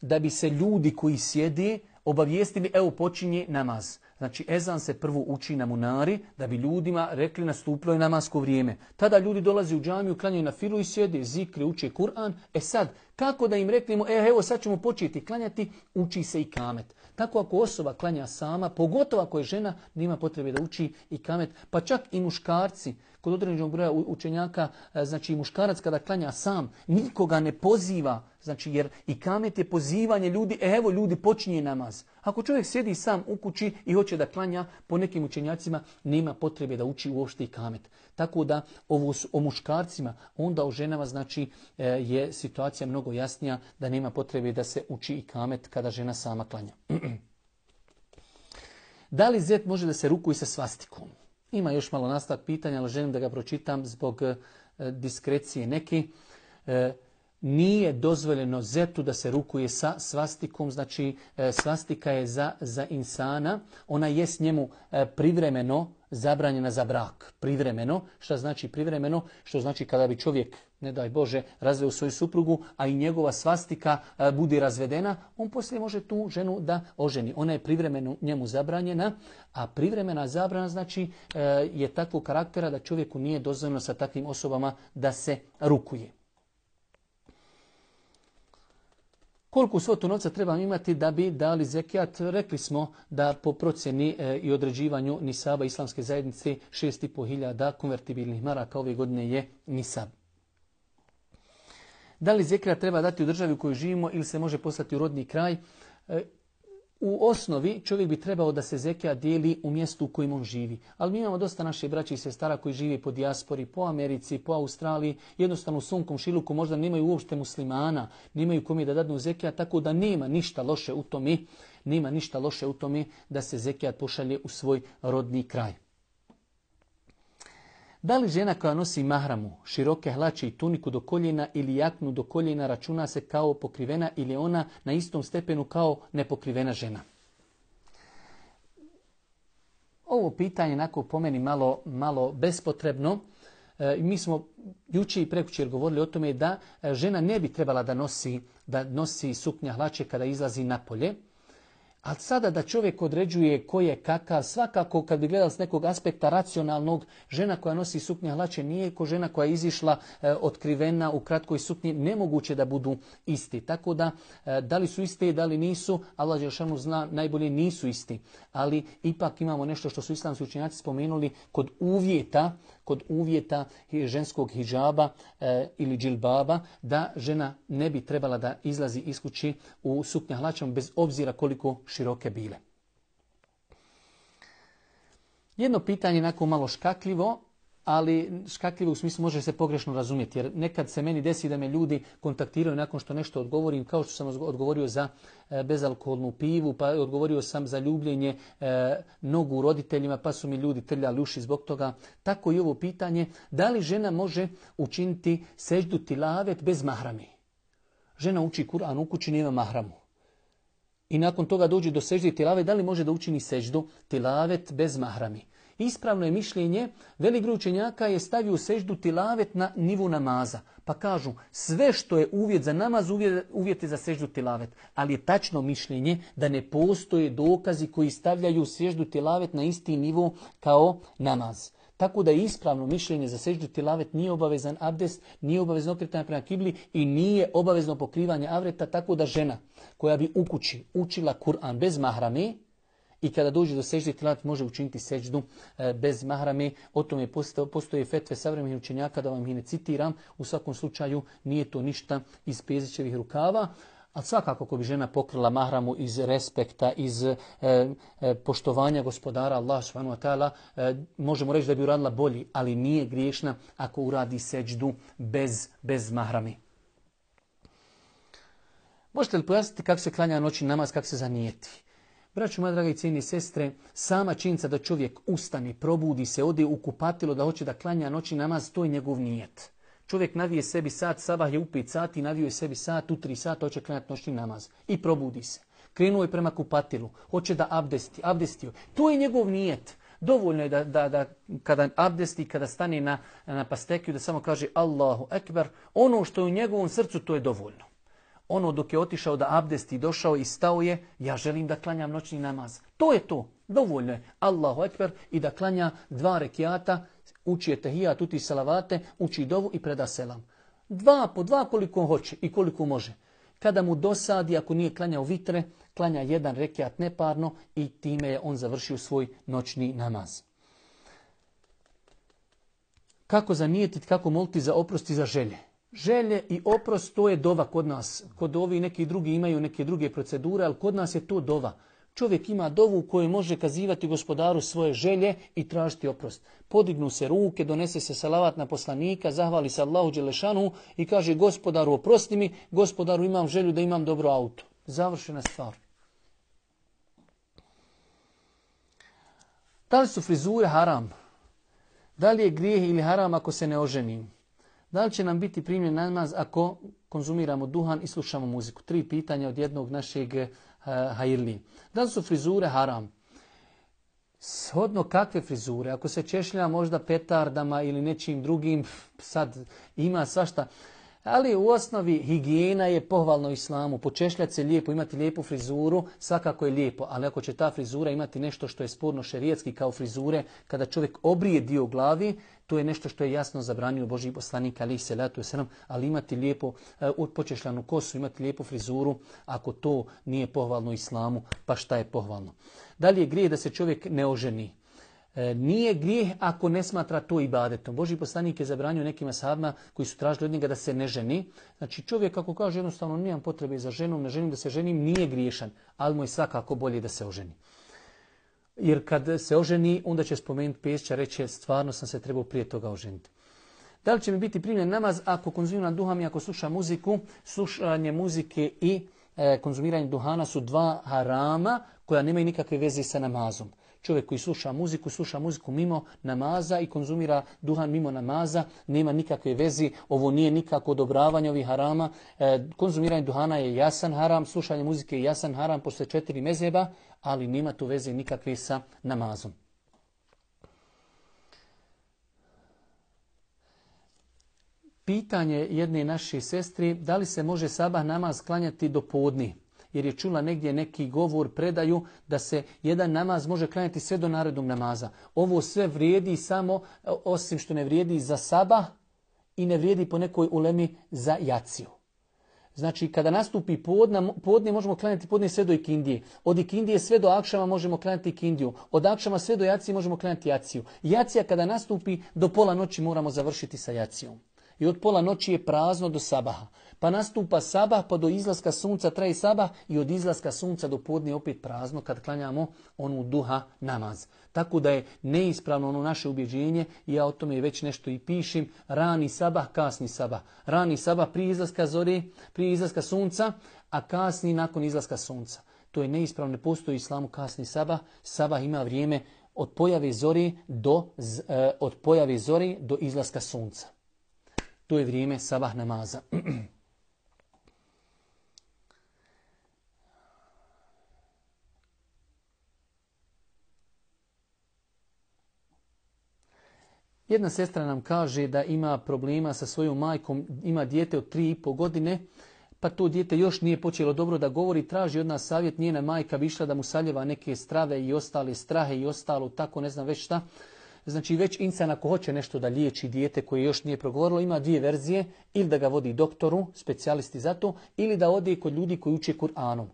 Speaker 1: da bi se ljudi koji sjede obavijestili, evo počinje namaz. Znači ezan se prvo uči na munari da bi ljudima rekli nastupilo je namasko vrijeme. Tada ljudi dolaze u džamiju, klanjaju na filu i sjede, zikri, uče Kur'an. Sad, kako da im reknemo, evo sad ćemo početi klanjati, uči se i kamet. Tako ako osoba klanja sama, pogotovo ako je žena, nema potrebe da uči i kamet, pa čak i muškarci. Kod određenog broja učenjaka, znači muškarac kada klanja sam, nikoga ne poziva, znači jer i kamet je pozivanje ljudi, evo ljudi počinje namaz. Ako čovjek sjedi sam u kući i hoće da klanja, po nekim učenjacima nema potrebe da uči uopšte i kamet. Tako da ovo o muškarcima, onda o ženama znači je situacija mnogo jasnija da nema potrebe da se uči i kamet kada žena sama klanja. Da li zet može da se rukuje sa svastikom? Ima još malo nastavak pitanja, ali želim da ga pročitam zbog diskrecije neke. Nije dozvoljeno zetu da se rukuje sa svastikom, znači svastika je za insana, ona je s njemu privremeno zabranjena za brak. Privremeno, šta znači privremeno? Što znači kada bi čovjek, ne daj Bože, razveo svoju suprugu, a i njegova svastika bude razvedena, on poslije može tu ženu da oženi. Ona je privremeno njemu zabranjena, a privremena zabrana znači je takvog karaktera da čovjeku nije dozvoljeno sa takvim osobama da se rukuje. Koliko svotu novca treba imati da bi dali zekijat? Rekli smo da po procjeni i određivanju nisaba islamske zajednice 6.500 konvertibilnih maraka ove godine je nisab. Da li zekijat treba dati u državi u kojoj živimo ili se može poslati u rodni kraj? U osnovi čovjek bi trebao da se zekijat dijeli u mjestu u kojem on živi. Ali mi imamo dosta naše braće i sestara koji žive po dijaspori, po Americi, po Australiji. Jednostavno u svom komšiluku možda nemaju uopšte muslimana, nemaju kome da dadnu zekijat, tako da nema ništa loše u tome, da se zekijat pošalje u svoj rodni kraj. Da li žena koja nosi mahramu, široke hlače i tuniku do koljena ili jaknu do koljena računa se kao pokrivena ili je ona na istom stepenu kao nepokrivena žena? Ovo pitanje onako po meni malo bespotrebno. Mi smo jučer i prekjučer govorili o tome da žena ne bi trebala da nosi suknja hlače kada izlazi napolje. Ali sada da čovjek određuje ko je kakav, svakako kad bi gledali s nekog aspekta racionalnog, žena koja nosi suknja hlače nije ko žena koja je izišla otkrivena u kratkoj suknji, nemoguće da budu isti. Tako da li su iste, da li nisu, Allah dželešanu zna, najbolje nisu isti. Ali ipak imamo nešto što su islamski učenjaci spomenuli kod uvjeta ženskog hidžaba ili džilbaba, da žena ne bi trebala da izlazi iz kući u suknja hlačama bez obzira koliko široke bile. Jedno pitanje onako malo škakljivo. ali škakljivo u smislu može se pogrešno razumjeti. Jer nekad se meni desi da me ljudi kontaktiraju nakon što nešto odgovorim, kao što sam odgovorio za bezalkoholnu pivu, pa odgovorio sam za ljubljenje nogu roditeljima, pa su mi ljudi trljali uši zbog toga. Tako i ovo pitanje, da li žena može učiniti seždu tilavet bez mahrami? Žena uči Kur'an u kući, nema mahramu. I nakon toga dođe do sežde tilavet, da li može da učini seždu tilavet bez mahrami? Ispravno je mišljenje, velik broj učenjaka je stavio seždu tilavet na nivu namaza. Pa kažu, sve što je uvjet za namaz, uvjet je za seždu tilavet. Ali je tačno mišljenje da ne postoje dokazi koji stavljaju seždu tilavet na isti nivo kao namaz. Tako da je ispravno mišljenje za seždu tilavet nije obavezan abdest, nije obavezno okretanje prema kibli i nije obavezno pokrivanje avreta, tako da žena koja bi u kući učila Kur'an bez mahrame i kada dođe do sežde tilavet može učiniti seždu bez mahrame. O tome postoje fetve savremenih učenjaka, da vam ih ne citiram. U svakom slučaju nije to ništa iz Pezićevih rukava. Ali svakako ako bi žena pokrila mahramu iz respekta, iz poštovanja gospodara Allah subhanahu wa ta'ala, možemo reći da bi uradila bolji, ali nije griješna ako uradi seđdu bez mahrami. Možete li pojasniti kako se klanja noćni namaz, kako se zanijeti? Braćo moja draga i cijene sestre, sama činjenica da čovjek ustane, probudi se, ode u kupatilo da hoće da klanja noćni namaz, to je njegov nijet. Čovjek navije sebi sat, sabah je u 5 sati, navio je sebi sat, u 3 sata hoće klanjati noćni namaz. I probudi se. Krenuo je prema kupatilu, hoće da abdestio. To je njegov nijet. Dovoljno je da kada abdesti, kada stane na pastekiju, da samo kaže Allahu ekber. Ono što je u njegovom srcu, to je dovoljno. Ono dok je otišao da abdesti, došao i stao je, ja želim da klanjam noćni namaz. To je to. Dovoljno je Allahu ekber i da klanja 2 rekiata, uči etehijat, uči salavate, uči dovu i preda selam. 2 po 2 koliko hoće i koliko može. Kada mu dosadi, ako nije klanjao vitre, klanja 1 rekiat neparno i time je on završio svoj noćni namaz. Kako zanijetiti, kako moliti za oprost i za želje? Želje i oprost, to je dova kod nas. Kod ovi neki drugi imaju neke druge procedure, ali kod nas je to dova. Čovjek ima dovu u kojoj može kazivati gospodaru svoje želje i tražiti oprost. Podignu se ruke, donese se salavat na poslanika, zahvali se Allahu dželešanu i kaže gospodaru oprosti mi, gospodaru imam želju da imam dobro auto. Završena stvar. Da li su frizure haram? Da li je grijeh ili haram ako se ne oženim? Da li će nam biti primljen namaz ako konzumiramo duhan i slušamo muziku? 3 pitanja od jednog našeg hajirli. Da li su frizure haram? Shodno kakve frizure? Ako se češlja možda petardama ili nečim drugim, sad ima svašta. Ali u osnovi higijena je pohvalno islamu. Počešljati se lijepo, imati lijepu frizuru, svakako je lijepo. Ali ako će ta frizura imati nešto što je sporno šerijetski kao frizure, kada čovjek obrije dio glavi, to je nešto što je jasno zabranio Božji poslanik alejhi selatu vesselam, ali imati lijepo počešljanu kosu, imati lijepu frizuru, ako to nije pohvalno islamu, pa šta je pohvalno? Da li je grijeh da se čovjek ne oženi? Nije grijeh ako ne smatra to ibadetom. Božji poslanik je zabranio nekim ashabima koji su tražili od njega da se ne ženi. Znači čovjek ako kaže jednostavno nemam potrebe za ženom, ne želim da se ženim, nije griješan, ali mu je svakako bolje da se oženi. Jer kad se oženi, onda će spomenuti Pesića, reći stvarno sam se trebao prije toga oženiti. Da li će mi biti primljen namaz ako konzumiram duhan i ako slušam muziku? Slušanje muzike i konzumiranje duhana su 2 harama koja nemaju nikakve veze sa namazom. Čovjek koji sluša muziku mimo namaza i konzumira duhan mimo namaza, nema nikakve veze, ovo nije nikako odobravanje ovih harama. Konzumiranje duhana je jasan haram, slušanje muzike je jasan haram posle 4 mezheba, ali nema tu veze nikakve sa namazom. Pitanje jedne naše sestri, da li se može sabah namaz klanjati do podni? Jer je čula negdje neki govor, predaju da se jedan namaz može klanjati sve do narednog namaza. Ovo sve vrijedi samo, osim što ne vrijedi za sabah i ne vrijedi po nekoj ulemi za jaciju. Znači kada nastupi podne možemo klanjati podne sve do ikindije. Od ikindije sve do akšama možemo klanjati ikindiju. Od akšama sve do jacije možemo klanjati jaciju. Jacija kada nastupi do pola noći moramo završiti sa jacijom. I od pola noći je prazno do sabaha. Pa nastupa sabah, pa do izlaska sunca traje sabah i od izlaska sunca do podne opet prazno kad klanjamo onu duha namaz. Tako da je neispravno ono naše ubjeđenje, ja o tome već nešto i pišem, rani sabah, kasni sabah. Rani sabah prije izlaska zore, prije izlaska sunca, a kasni nakon izlaska sunca. To je neispravno, ne postoji u islamu kasni sabah. Sabah ima vrijeme od pojave zori do izlaska sunca. To je vrijeme sabah namaza. Jedna sestra nam kaže da ima problema sa svojom majkom, ima dijete od 3,5 godine, pa to dijete još nije počelo dobro da govori, traži od nas savjet, njena majka bi išla da mu saljeva neke strave i ostale strahe i ostalo, tako ne znam već šta. Znači već insan ako hoće nešto da liječi dijete koje još nije progovorilo, ima dvije verzije, ili da ga vodi doktoru, specijalisti za to, ili da ode kod ljudi koji uče Kur'anom.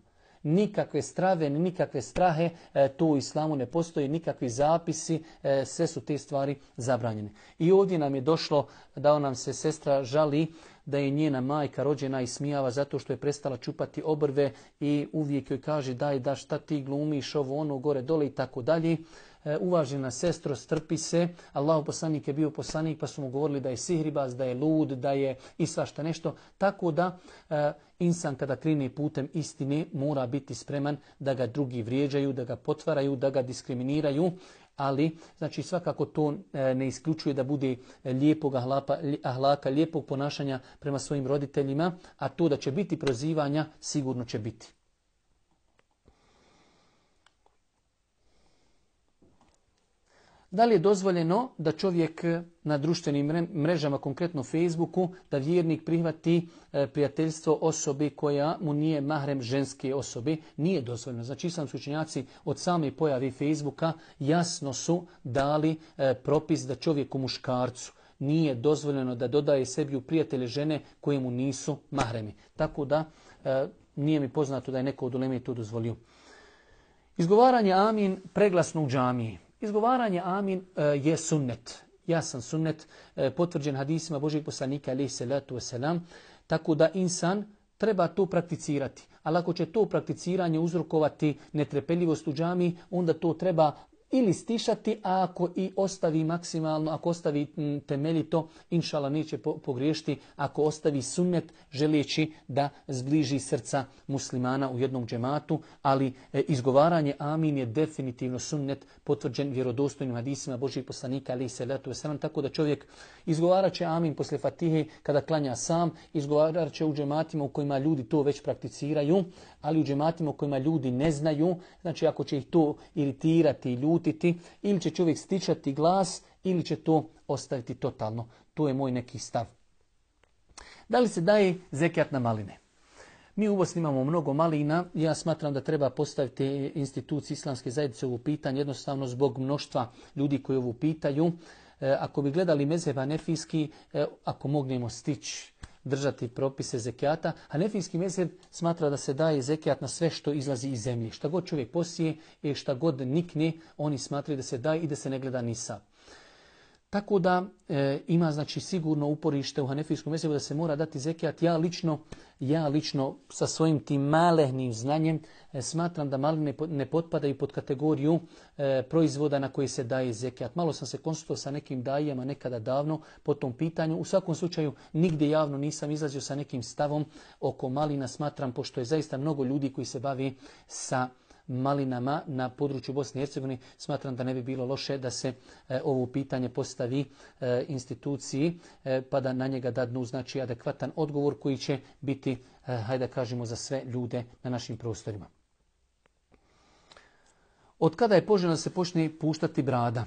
Speaker 1: Nikakve strave, nikakve strahe, to u islamu ne postoji, nikakvi zapisi, sve su te stvari zabranjene. I ovdje nam je došlo da nam se sestra žali da je njena majka rođena i smijava zato što je prestala čupati obrve i uvijek joj kaže daj da šta ti glumiš ovo ono gore dole i tako dalje. Uvažena sestro, strpi se. Allahu poslanik je bio poslanik pa su mu govorili da je sihribaz, da je lud, da je i svašta nešto. Tako da insan kada krene putem istine mora biti spreman da ga drugi vrijeđaju, da ga potvaraju, da ga diskriminiraju. Ali, znači svakako to ne isključuje da bude lijepog ahlaka, lijepog ponašanja prema svojim roditeljima, a to da će biti prozivanja sigurno će biti. Da li je dozvoljeno da čovjek na društvenim mrežama, konkretno Facebooku, da vjernik prihvati prijateljstvo osobe koja mu nije mahrem ženske osobe? Nije dozvoljeno. Znači islamski učenjaci od same pojave Facebooka jasno su dali propis da čovjeku muškarcu nije dozvoljeno da dodaje sebi u prijatelje žene koje mu nisu mahremi. Tako da nije mi poznato da je neko od uleme to dozvolio. Izgovaranje amin preglasno u džamiji. Izgovaranje amin je sunnet. Jasan sunnet, potvrđen hadisima Božijeg poslanika alejhi salatu vesselam, tako da insan treba to prakticirati. Ali ako će to prakticiranje uzrokovati netrpeljivost u džamiji, onda to treba ili stišati, a ako i ostavi maksimalno, ako ostavi temeljito, inšala neće pogriješiti, ako ostavi sunnet želeći da zbliži srca muslimana u jednom džematu, ali izgovaranje amin je definitivno sunnet potvrđen vjerodostojnim hadisima Božijeg poslanika alejhi salatu vesselam, tako da čovjek izgovarat će amin posle Fatihe kada klanja sam, izgovarat će u džematima u kojima ljudi to već prakticiraju, ali u džematima u kojima ljudi ne znaju, znači ako će ih to iritirati i ljutiti, ili će čovjek stišati glas, ili će to ostaviti totalno. To je moj neki stav. Da li se daje zekijat na maline? Mi u Bosni imamo mnogo malina. Ja smatram da treba postaviti instituciji islamske zajednice ovo pitanje, jednostavno zbog mnoštva ljudi koji ovo pitaju. Ako bi gledali mezheb hanefijski, ako mognemo stići držati propise zekijata, hanefijski mezheb smatra da se daje zekijat na sve što izlazi iz zemlje. Šta god čovjek posije i šta god nikne, oni smatraju da se daje i da se ne gleda nisab. Tako da ima znači sigurno uporište u hanefijskom mezhebu da se mora dati zekijat. Ja lično sa svojim tim malehnim znanjem smatram da maline ne potpadaju pod kategoriju proizvoda na koji se daje zekijat. Malo sam se konsultovao sa nekim dajama nekada davno po tom pitanju. U svakom slučaju nigdje javno nisam izlazio sa nekim stavom oko malina. Smatram, pošto je zaista mnogo ljudi koji se bavi sa malinama na području Bosne i Hercegovine, smatram da ne bi bilo loše da se ovo pitanje postavi instituciji pa da na njega dadnu znači adekvatan odgovor koji će biti, hajde da kažemo, za sve ljude na našim prostorima. Od kada je poželjno da se počne puštati brada?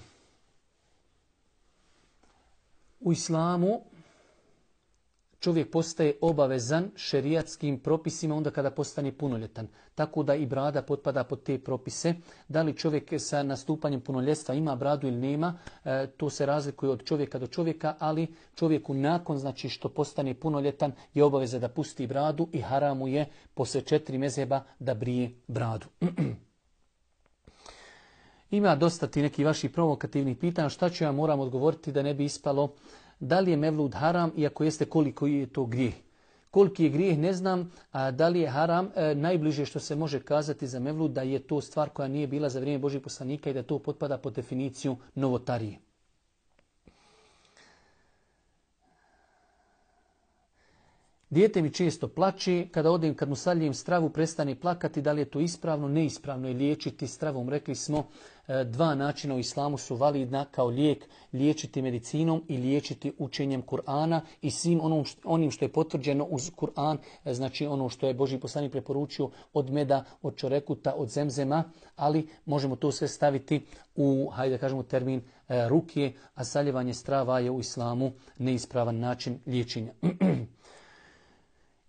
Speaker 1: U islamu čovjek postaje obavezan šerijatskim propisima onda kada postane punoljetan. Tako da i brada potpada pod te propise. Da li čovjek sa nastupanjem punoljetstva ima bradu ili nema, to se razlikuje od čovjeka do čovjeka, ali čovjeku nakon znači što postane punoljetan je obaveza da pusti bradu i haramu je posle 4 mezheba da brije bradu. Ima dosta ti neki vaši provokativnih pitanja. Šta ću ja moram odgovoriti da ne bi ispalo da li je mevlud haram i ako jeste koliko je to grijeh? Koliki je grijeh ne znam, a da li je haram, najbliže što se može kazati za mevlud da je to stvar koja nije bila za vrijeme Božih poslanika i da to potpada pod definiciju novotarije. Dijete mi često plače, kad mu saljem stravu prestane plakati, da li je to ispravno? Neispravno je liječiti stravom. Rekli smo, 2 načina u islamu su validna kao lijek, liječiti medicinom i liječiti učenjem Kur'ana i svim onim što je potvrđeno uz Kur'an, znači ono što je Božji poslanik preporučio od meda, od čorekuta, od zemzema, ali možemo to sve staviti u, hajde kažemo, termin rukije, a saljevanje strava je u islamu neispravan način liječenja.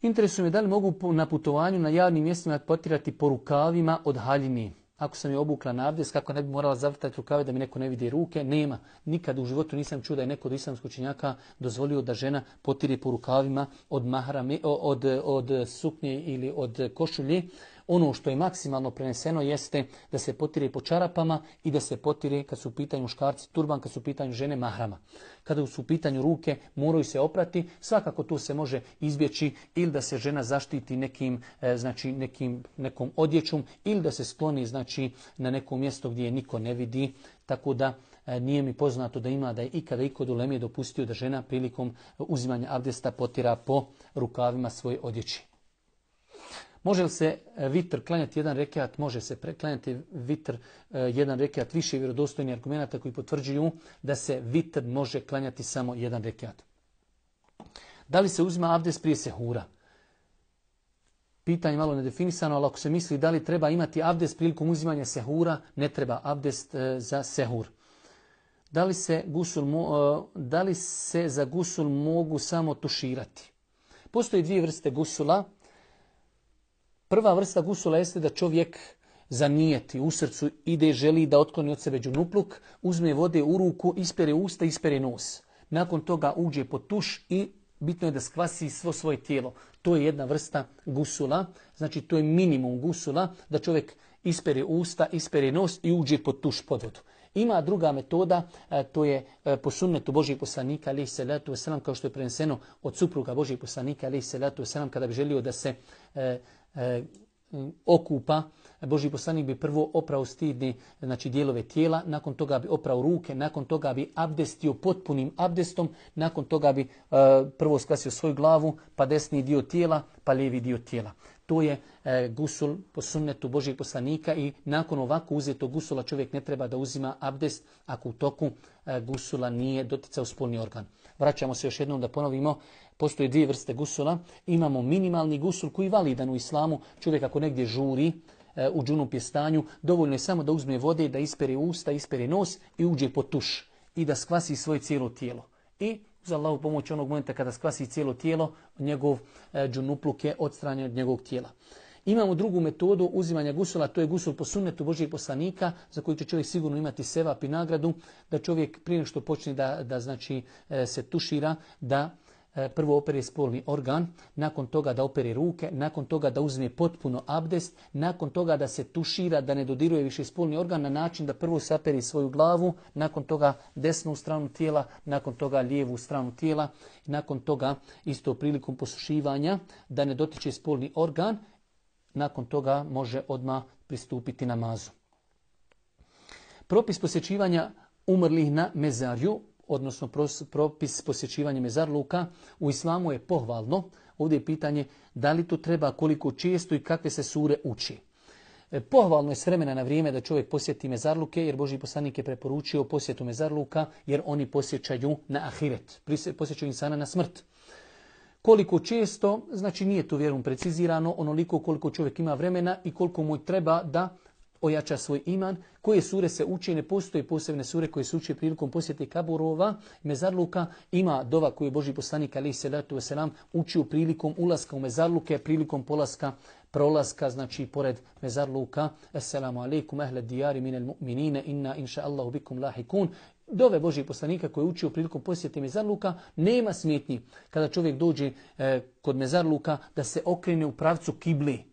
Speaker 1: Interesuje me da li mogu na putovanju na javnim mjestima potirati po rukavima od haljine. Ako sam je obukla na abdest, kako ne bi morala zavrtati rukave da mi neko ne vidi ruke, nema. Nikad u životu nisam čuo da je neko od islamskog učenjaka dozvolio da žena potire po rukavima od mahrame, od suknje ili od košulje. Ono što je maksimalno preneseno jeste da se potire po čarapama i da se potire kad su u pitanju muškarci turban, kad su u pitanju žene mahrama. Kada su u pitanju ruke, moraju se oprati. Svakako to se može izbjeći ili da se žena zaštiti nekom odjećom ili da se skloni na neko mjesto gdje je niko ne vidi. Tako da nije mi poznato da je ikada i kod uleme dopustio da žena prilikom uzimanja abdesta potira po rukavima svoje odjeće. Može li se vitr klanjati jedan rekiat? Može se klanjati vitr jedan rekiat, više vjerodostojnih argumenata koji potvrđuju da se vitr može klanjati samo jedan rekiat. Da li se uzima abdest prije sehura? Pitanje malo nedefinisano, ali ako se misli da li treba imati abdest prilikom uzimanja sehura, ne treba abdest za sehur. Da li se za gusul mogu samo tuširati? Postoji 2 vrste gusula. Prva vrsta gusula jeste da čovjek zanijeti u srcu, želi da otkloni od sebe džunupluk, uzme vode u ruku, ispere usta, ispere nos. Nakon toga uđe pod tuš i bitno je da skvasi svo svoje tijelo. To je jedna vrsta gusula, znači to je minimum gusula, da čovjek ispere usta, ispere nos i uđe pod tuš, pod vodu. Ima druga metoda, to je po sunnetu Božijeg poslanika, alejhi selatu vesselam, kao što je preneseno od supruga Božijeg poslanika, alejhi selatu vesselam, kada bi želio da se okupa, Božji poslanik bi prvo oprao stidne dijelove tijela, nakon toga bi oprao ruke, nakon toga bi abdestio potpunim abdestom, nakon toga bi prvo skvasio svoju glavu, pa desni dio tijela, pa lijevi dio tijela. To je gusul po sunnetu Božjeg poslanika i nakon ovako uzetog gusula čovjek ne treba da uzima abdest ako u toku gusula nije doticao spolni organ. Vraćamo se još jednom da ponovimo. Postoje 2 vrste gusula. Imamo minimalni gusul koji je validan u islamu. Čovjek ako negdje žuri u džunup stanju, dovoljno je samo da uzme vode, da ispere usta, ispere nos i uđe pod tuš i da skvasi svoje cijelo tijelo. I uz Allahu pomoć onog momenta kada skvasi cijelo tijelo, njegov džunupluk je odstranjen od njegovog tijela. Imamo drugu metodu uzimanja gusula, to je gusul po sunnetu Božijeg poslanika, za koji će čovjek sigurno imati sevap i nagradu, da čovjek prije što počne da se tušira, da prvo opere spolni organ, nakon toga da opere ruke, nakon toga da uzme potpuno abdest, nakon toga da se tušira, da ne dodiruje više spolni organ na način da prvo saperi svoju glavu, nakon toga desnu stranu tijela, nakon toga lijevu stranu tijela, nakon toga isto prilikom posušivanja da ne dotiče spolni organ, nakon toga može odmah pristupiti namazu. Propis posjećivanja umrlih na mezarju, odnosno propis posjećivanja mezarluka u islamu je pohvalno. Ovdje je pitanje da li to treba, koliko često i kakve se sure uči. Pohvalno je s vremena na vrijeme da čovjek posjeti mezarluke, jer Božji poslanik je preporučio posjetu mezarluka, jer oni posjećaju na ahiret, posjećaju insana na smrt. Koliko često, znači nije to vjerom precizirano, onoliko koliko čovjek ima vremena i koliko mu treba da ojača svoj iman. Koje sure se uče, ne postoje posebne sure koje se uče prilikom posjete kaburova, mezarluka. Ima dova koju je Božji poslanik alejhi selatu vesselam učio prilikom ulaska u mezarluke, prilikom prolaska, znači pored mezarluka. Assalamu alaikum ahle dijari minel mu'minine, inna inša Allahu bikum lahikun. Dove Božjeg poslanika koji je učio prilikom posjete mezarluka, nema smetnji kada čovjek dođe kod mezarluka da se okrene u pravcu kibli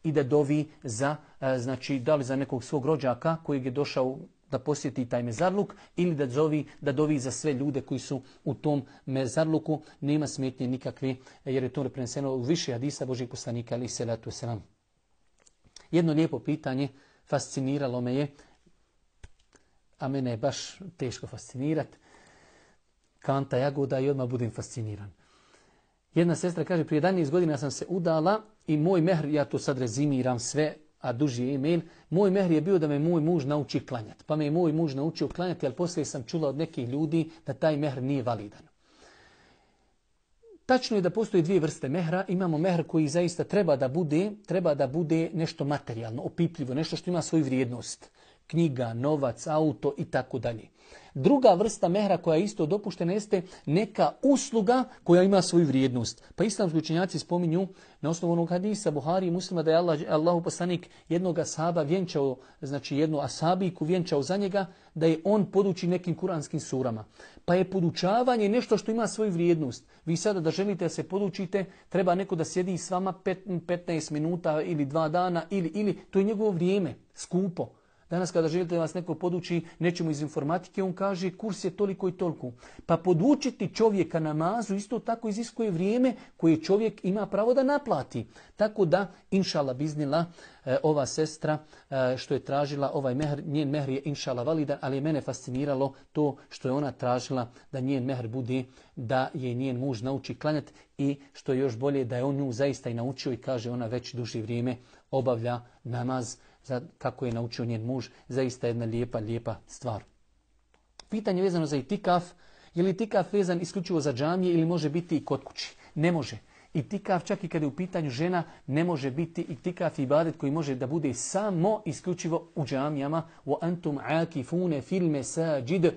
Speaker 1: i da dovi za, znači, da li za nekog svog rođaka koji je došao da posjeti taj mezarluk ili da dovi za sve ljude koji su u tom mezarluku. Nema smetnje nikakve, jer je to preneseno u više hadisa Božih poslanika, ali selatu selam. Jedno lijepo pitanje fasciniralo me je, a mene je baš teško fascinirati. Kanta jagoda i odmah budem fasciniran. Jedna sestra kaže, prije 11 godina sam se udala i moj mehr, ja to sad rezimiram sve, a duži je email, moj mehr je bio da me moj muž nauči klanjati. Pa me je moj muž naučio klanjati, ali poslije sam čula od nekih ljudi da taj mehr nije validan. Tačno je da postoji dvije vrste mehra. Imamo mehr koji zaista treba da bude nešto materijalno, opipljivo, nešto što ima svoju vrijednost. Knjiga, novac, auto i tako dalje. Druga vrsta mehra koja je isto dopuštena jeste neka usluga koja ima svoju vrijednost. Pa islamski učenjaci spominju na osnovu onog hadisa Buhari i Muslima da je Allahu poslanik jednog ashaba vjenčao, znači jednu asabiku vjenčao za njega, da je on poduči nekim kuranskim surama. Pa je podučavanje nešto što ima svoju vrijednost. Vi sada da želite da se podučite, treba neko da sjedi s vama 15 minuta ili 2 dana ili to je njegovo vrijeme, skupo. Danas kada želite da vas neko poduči nečemu iz informatike, on kaže kurs je toliko i toliko. Pa podučiti čovjeka namazu isto tako iziskuje vrijeme koje čovjek ima pravo da naplati. Tako da, inšala biznila, ova sestra što je tražila ovaj mehr, njen mehr je inšala validan, ali je mene fasciniralo to što je ona tražila da njen mehr bude, da je njen muž nauči klanjati i što je još bolje da je on nju zaista i naučio i kaže ona već duže vrijeme obavlja namaz kako je naučio njen muž, zaista jedna lijepa stvar. Pitanje vezano za itikaf, je li itikaf vezan isključivo za džamije ili može biti i kod kući? Ne može. Itikaf, čak i kada je u pitanju žena, ne može biti itikaf ibadet koji može da bude samo isključivo u džamijama. Wa antum akifune fil mesajid.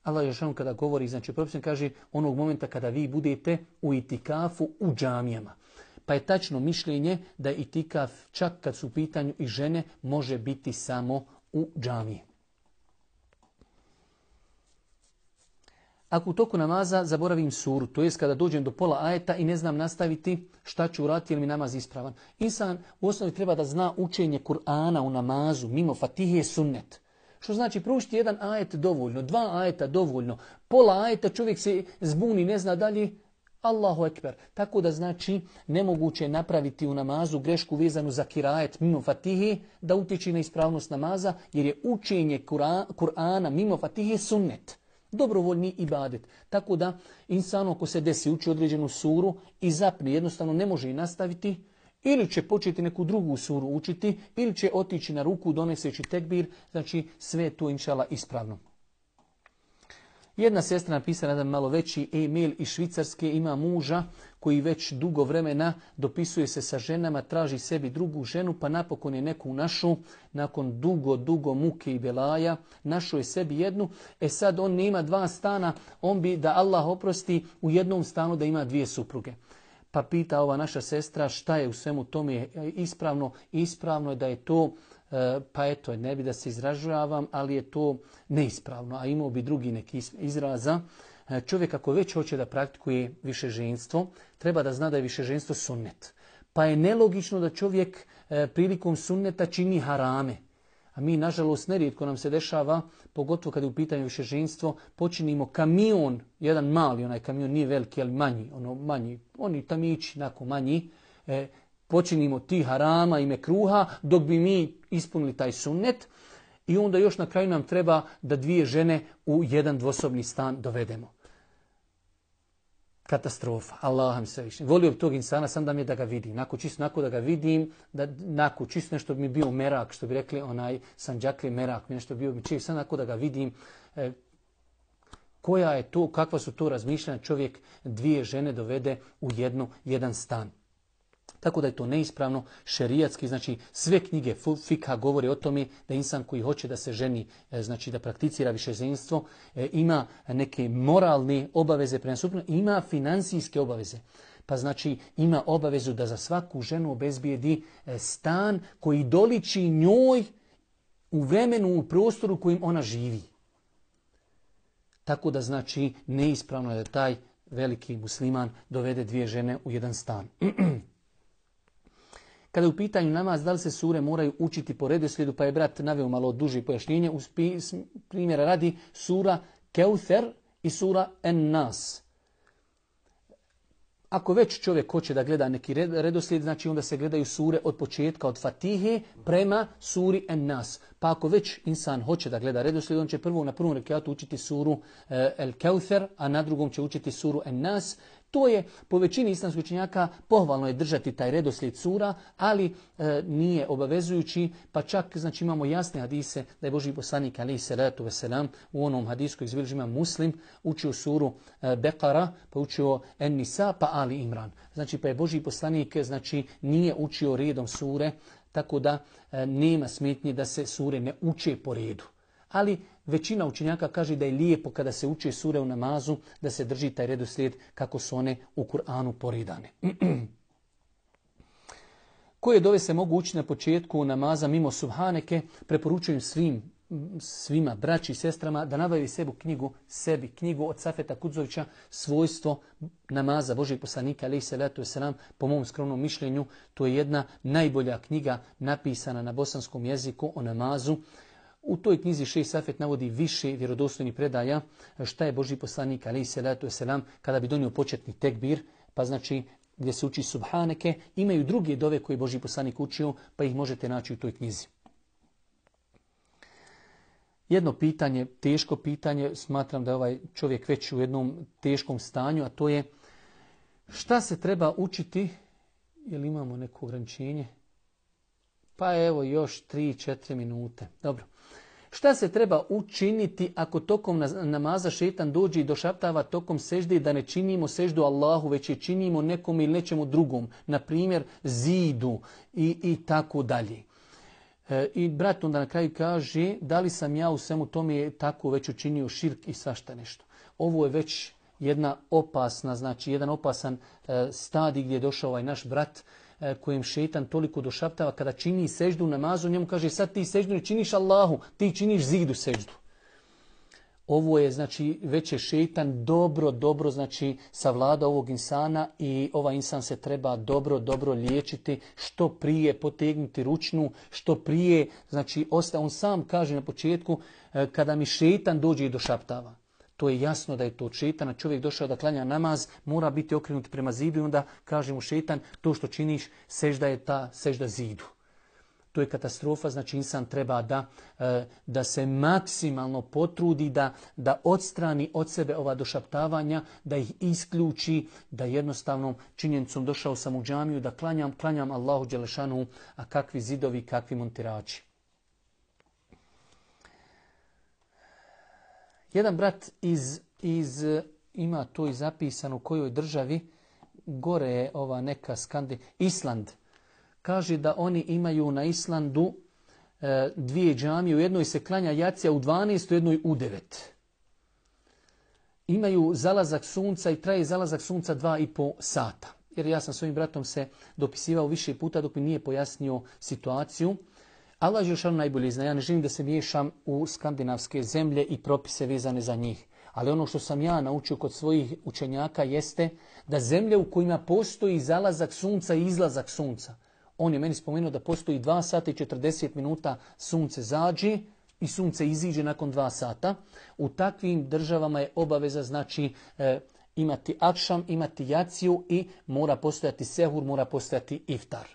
Speaker 1: Allah je kada govori, znači propisno kaže onog momenta kada vi budete u itikafu u džamijama. Pa je tačno mišljenje da itikaf, čak kad su u pitanju i žene, može biti samo u džamiji. Ako u toku namaza zaboravim suru, to jest kada dođem do pola ajeta i ne znam nastaviti, šta ću uraditi ili mi namaz ispravan. Insan u osnovi treba da zna učenje Kur'ana u namazu, mimo Fatihe sunnet. Što znači proučiti jedan ajet dovoljno, 2 ajeta dovoljno, pola ajeta čovjek se zbuni, ne zna dalje, Allahu ekber. Tako da znači nemoguće je napraviti u namazu grešku vezanu za kirajet mimo Fatihe da utječe na ispravnost namaza, jer je učenje Kur'ana mimo Fatihe sunnet. Dobrovoljni ibadet. Tako da insano ako se desi uči određenu suru i zapne, jednostavno ne može i nastaviti, ili će početi neku drugu suru učiti, ili će otići na ruku doneseći tekbir, znači sve je to inšala ispravno. Jedna sestra napisala jedan malo veći e-mail iz Švicarske, ima muža koji već dugo vremena dopisuje se sa ženama, traži sebi drugu ženu, pa napokon je neku našu, nakon dugo muke i belaja, našao je sebi jednu, sad on nema 2 stana, on bi da Allah oprosti u jednom stanu da ima 2 supruge. Pa pita ova naša sestra šta je u svemu tome ispravno. Ispravno je da je to, pa eto, ne bi da se izražavam, ali je to neispravno, a imao bi drugi neki izraza. Čovjek ako već hoće da praktikuje višeženstvo, treba da zna da je višeženstvo sunnet. Pa je nelogično da čovjek prilikom sunneta čini harame. A mi, nažalost, nerijetko nam se dešava, pogotovo kada je u pitanju višeženstvo, počinimo kamion, jedan mali, onaj kamion nije veliki, ali manji, oni tamići, onako manji, počinimo ti harama i mekruha, dok bi mi ispunili taj sunnet i onda još na kraju nam treba da 2 žene u jedan dvosobni stan dovedemo. Katastrofa. Allah mi se više. Volio bi tog insana, sam da mi je da ga vidim. Nako da ga vidim, čisto nešto bi mi bio merak, što bi rekli onaj Sanđakli merak, nešto bio bi čisto, sam nako da ga vidim. Koja je to, kakva su to razmišljanja, čovjek 2 žene dovede u jedan stan. Tako da je to neispravno, šerijatski, znači sve knjige fikha govore o tome da insan koji hoće da se ženi, znači da prakticira višeženstvo, ima neke moralne obaveze prema suprugu, ima financijske obaveze. Pa znači ima obavezu da za svaku ženu obezbijedi stan koji doliči njoj u vremenu, u prostoru u kojim ona živi. Tako da znači neispravno je da taj veliki musliman dovede 2 žene u jedan stan. Kada je u pitanju namaz, da li se sure moraju učiti po redoslijedu, pa je brat naveo malo duže pojašnjenje. Uz primjera radi sura Keuther i sura En-Nas. Ako već čovjek hoće da gleda neki redoslijed, znači onda se gledaju sure od početka, od Fatihe prema suri En-Nas. Pa ako već insan hoće da gleda redoslijed, on će na prvom rekatu učiti suru El-Keuther, a na drugom će učiti suru En-Nas. To je po većini islamskih učenjaka pohvalno je držati taj redoslijed sura, ali nije obavezujući, pa čak znači imamo jasne hadise da je Božji poslanik alejhi selatu vesselam u onom hadisu koji izbilježi Imam Muslim učio suru Bekara, pa učio En-Nisa, pa Ali Imran. Znači pa je Božji poslanik znači nije učio redom sure, tako da nema smetnje da se sure ne uče po redu. Ali većina učenjaka kaže da je lijepo kada se uče sure u namazu, da se drži taj redoslijed kako su one u Kur'anu poredane. Koje dove se mogu učiti na početku namaza mimo Subhaneke, preporučujem svima, braći i sestrama, da nabavi knjigu od Safeta Kudzovića, svojstvo namaza Božijeg poslanika, alejhi selatu vesselam, po mom skromnom mišljenju, to je jedna najbolja knjiga napisana na bosanskom jeziku o namazu. U toj knjizi Šejh Safet navodi više vjerodostojnih predaja šta je Božji poslanik alejhi selatu vesselam kada bi donio početni tekbir, pa znači gdje se uči Subhaneke, imaju druge dove koje Božji poslanik učio, pa ih možete naći u toj knjizi. Jedno pitanje, teško pitanje, smatram da je ovaj čovjek već u jednom teškom stanju, a to je šta se treba učiti, jel imamo neko ograničenje? Pa evo još 3-4 minute. Dobro. Šta se treba učiniti ako tokom namaza šetan dođe i došaptava tokom sežde da ne činimo seždu Allahu, već je činimo nekom ili nečemu drugom, na primjer zidu i tako dalje. I brat onda na kraju kaže da li sam ja u svemu tome tako već učinio širk i svašta nešto. Ovo je već jedna opasna, znači jedan opasan stadij gdje je došao ovaj naš brat kojem šetan toliko došaptava kada čini seždu namazu, njemu kaže sad ti seždu ne činiš Allahu, ti činiš zidu seždu. Ovo je znači već je šetan dobro znači savlada ovog insana i ovaj insan se treba dobro liječiti, što prije potegnuti ručnu, što prije, znači on sam kaže na početku kada mi šetan dođe i došaptava. To je jasno da je to šetan, a čovjek došao da klanja namaz, mora biti okrenut prema zidu i onda kaže mu šetan, to što činiš, sežda je ta sežda zidu. To je katastrofa, znači insan treba da se maksimalno potrudi, da odstrani od sebe ova došaptavanja, da ih isključi, da jednostavnom činjenicom došao sam u džamiju, da klanjam Allahu dželešanu, a kakvi zidovi, kakvi montirači. Jedan brat ima to i zapisano u kojoj državi, gore je ova neka Island. Kaže da oni imaju na Islandu 2 džamije, u jednoj se klanja jacija u 12, u jednoj u 9. Imaju zalazak sunca i traje zalazak sunca 2,5 sata. Jer ja sam s ovim bratom se dopisivao više puta dok mi nije pojasnio situaciju. Allah je najbolje zna, ja ne želim da se miješam u skandinavske zemlje i propise vezane za njih. Ali ono što sam ja naučio kod svojih učenjaka jeste da zemlje u kojima postoji zalazak sunca i izlazak sunca. On je meni spomenuo da postoji 2 sata i 40 minuta sunce zađe i sunce iziđe nakon 2 sata. U takvim državama je obaveza znači imati akšam, imati jaciju i mora postojati sehur, mora postojati iftar.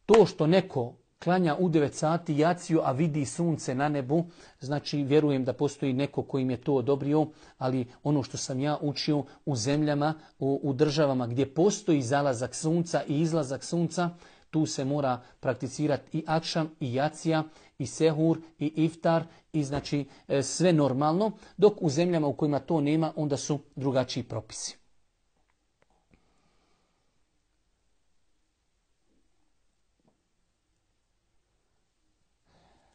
Speaker 1: To što neko klanja u 9 sati jaciju, a vidi sunce na nebu, znači vjerujem da postoji neko koji im je to odobrio, ali ono što sam ja učio u zemljama, u državama gdje postoji zalazak sunca i izlazak sunca, tu se mora prakticirati i akšam, i jacija, i sehur, i iftar, i znači sve normalno, dok u zemljama u kojima to nema, onda su drugačiji propisi.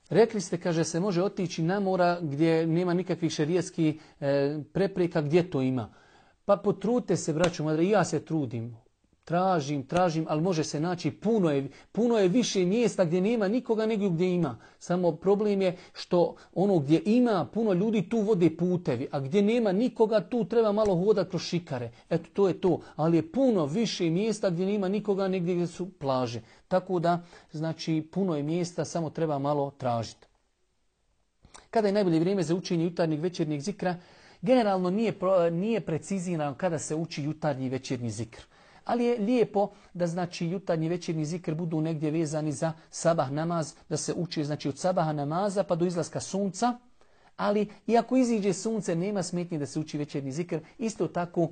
Speaker 1: Rekli ste, kaže, se može otići na mora gdje nema nikakvih šerijatskih prepreka, gdje to ima. Pa potrudite se, braćo, i ja se trudim. tražim, ali može se naći puno je više mjesta gdje nema nikoga nego gdje ima. Samo problem je što ono gdje ima puno ljudi tu vode putevi, a gdje nema nikoga tu treba malo hodati kroz šikare. Eto, to je to. Ali je puno više mjesta gdje nema nikoga negdje gdje su plaže. Tako da, znači, puno je mjesta, samo treba malo tražiti. Kada je najbolje vrijeme za učenje jutarnjeg večernjeg zikra? Generalno nije precizirano kada se uči jutarnji i večernji zikr. Ali je lijepo da znači jutarnji i večernji zikr budu negdje vezani za sabah namaz, da se uči znači od sabaha namaza pa do izlaska sunca. Ali iako iziđe sunce nema smetnje da se uči večernji zikr. Isto tako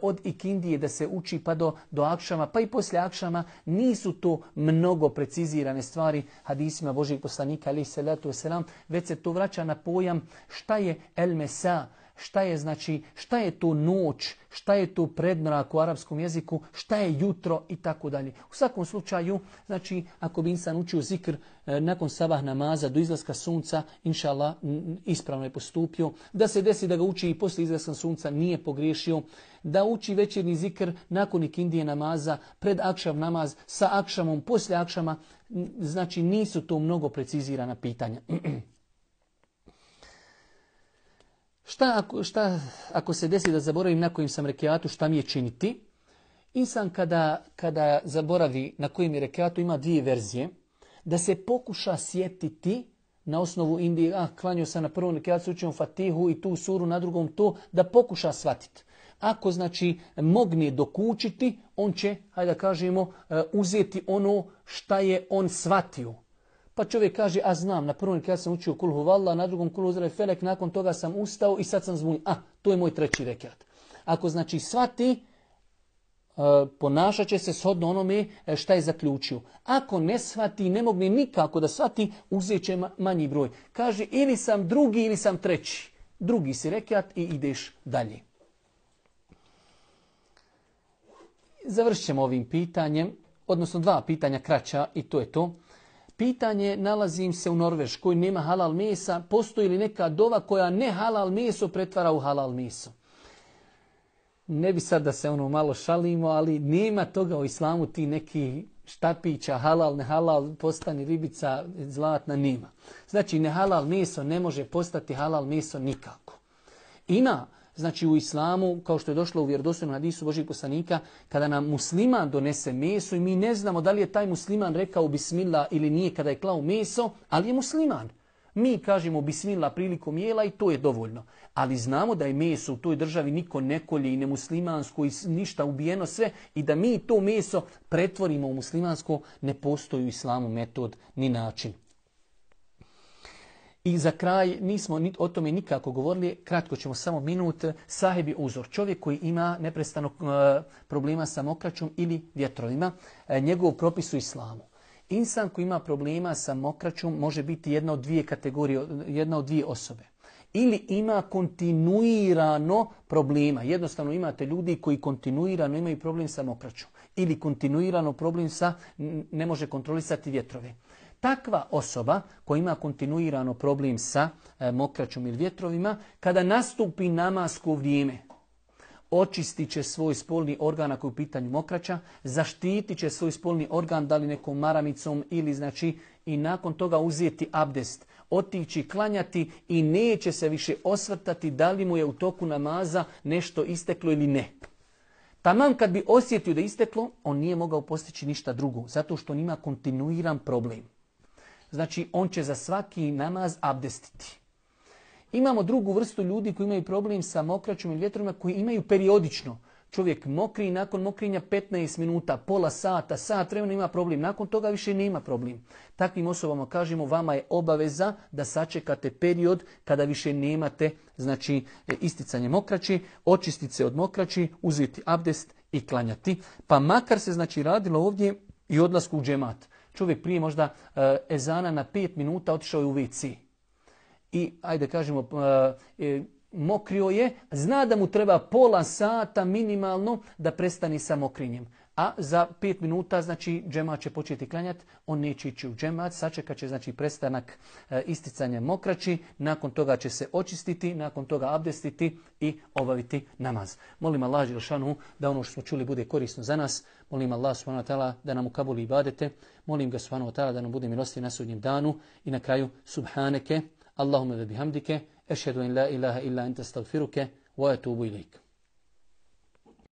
Speaker 1: od ikindije da se uči pa do akšama, pa i poslije akšama. Nisu to mnogo precizirane stvari hadisima Božijeg poslanika alejhi selatu vesselam, već se to vraća na pojam šta je el mesa, šta je to noć, šta je to predmrak u arapskom jeziku, šta je jutro i tako dalje. U svakom slučaju, znači ako bi insan učio zikr nakon sabah namaza do izlaska sunca, inša Allah, ispravno je postupio. Da se desi da ga uči i poslije izlaska sunca, nije pogriješio. Da uči večernji zikr nakon ikindije namaza, pred akšav namaz, sa akšamom, poslije akšama, znači nisu to mnogo precizirana pitanja. Šta ako se desi da zaboravim na kojim sam rekiatu, šta mi je činiti? Insan kada zaboravi na kojim je rekiatu ima dvije verzije. Da se pokuša sjetiti na osnovu Indije, klanio sam na prvom rekiatu, učimo Fatihu i tu suru, na drugom to, da pokuša shvatiti. Ako znači mogne dokučiti, on će, hajde da kažemo, uzeti ono šta je on shvatio. Pa čovjek kaže, znam, na prvom rekiatu sam učio kul huvallah, na drugom kul huzra felek, nakon toga sam ustao i sad sam zbunjen. To je moj treći rekiat. Ako znači shvati, ponašat će se shodno onome šta je zaključio. Ako ne shvati, ne mogne nikako da shvati, uzet će manji broj. Kaže, ili sam drugi ili sam treći. Drugi si rekiat i ideš dalje. Završit ćemo ovim pitanjem, odnosno dva pitanja kraća i to je to. Pitanje, nalazim se u Norveškoj, nema halal mesa, postoji li neka dova koja ne halal meso pretvara u halal meso? Ne bi sad da se malo šalimo, ali nema toga u islamu, ti neki štapića, halal, ne halal, postani ribica zlatna, nema. Znači, ne halal meso ne može postati halal meso nikako. Ima, znači u islamu, kao što je došlo u vjerodostojnom hadisu Božijeg poslanika, kada nam musliman donese meso i mi ne znamo da li je taj musliman rekao bismillah ili nije kada je klao meso, ali je musliman. Mi kažemo bismillah prilikom jela i to je dovoljno. Ali znamo da je meso u toj državi niko ne kolje i nemuslimansko i ništa ubijeno sve i da mi to meso pretvorimo u muslimansko, ne postoji u islamu metod ni način. I za kraj, nismo o tome nikako govorili, kratko ćemo samo minut, sahibi uzor. Čovjek koji ima neprestano problema sa mokraćom ili vjetrovima, njegov propis u islamu. Insan koji ima problema sa mokraćom može biti jedna od dvije kategorije, jedna od dvije osobe. Ili ima kontinuirano problema. Jednostavno imate ljudi koji kontinuirano imaju problem sa mokraćom. Ili kontinuirano problem sa ne može kontrolisati vjetrove. Takva osoba koja ima kontinuirano problem sa mokraćom ili vjetrovima, kada nastupi namasko vrijeme, očistit će svoj spolni organ ako je u pitanju mokraća, zaštitit će svoj spolni organ da li nekom maramicom ili znači i nakon toga uzeti abdest, otići klanjati i neće se više osvrtati da li mu je u toku namaza nešto isteklo ili ne. Taman kad bi osjetio da je isteklo, on nije mogao postići ništa drugo, zato što on ima kontinuiran problem. Znači, on će za svaki namaz abdestiti. Imamo drugu vrstu ljudi koji imaju problem sa mokraćom ili vjetrovima koji imaju periodično. Čovjek mokri i nakon mokrinja 15 minuta, pola sata, sat vremena ima problem. Nakon toga više nema problem. Takvim osobama kažemo, vama je obaveza da sačekate period kada više nemate znači, isticanje mokraći, očistiti se od mokraći, uzeti abdest i klanjati. Pa makar se znači radilo ovdje i odlasku u džemat. Čovjek prije možda ezana na 5 minuta otišao je u WC. I, ajde kažemo, mokrio je, zna da mu treba pola sata minimalno da prestani sa mokrinjem. a za 5 minuta znači džemat će početi klanjati, on neće ići u džemat, sačekat će znači prestanak isticanja mokraći, nakon toga će se očistiti, nakon toga abdestiti i obaviti namaz. Molim Allah dželešanu da ono što smo čuli bude korisno za nas, molim Allah subhanahu wa ta'ala da nam ukabuli ibadete, molim ga subhanahu wa ta'ala da nam bude milostiv na sudnjem danu i na kraju subhaneke, Allahumma ve bihamdike, ešhedu en la ilaha illa ente astaghfiruke wa atubu ilaik.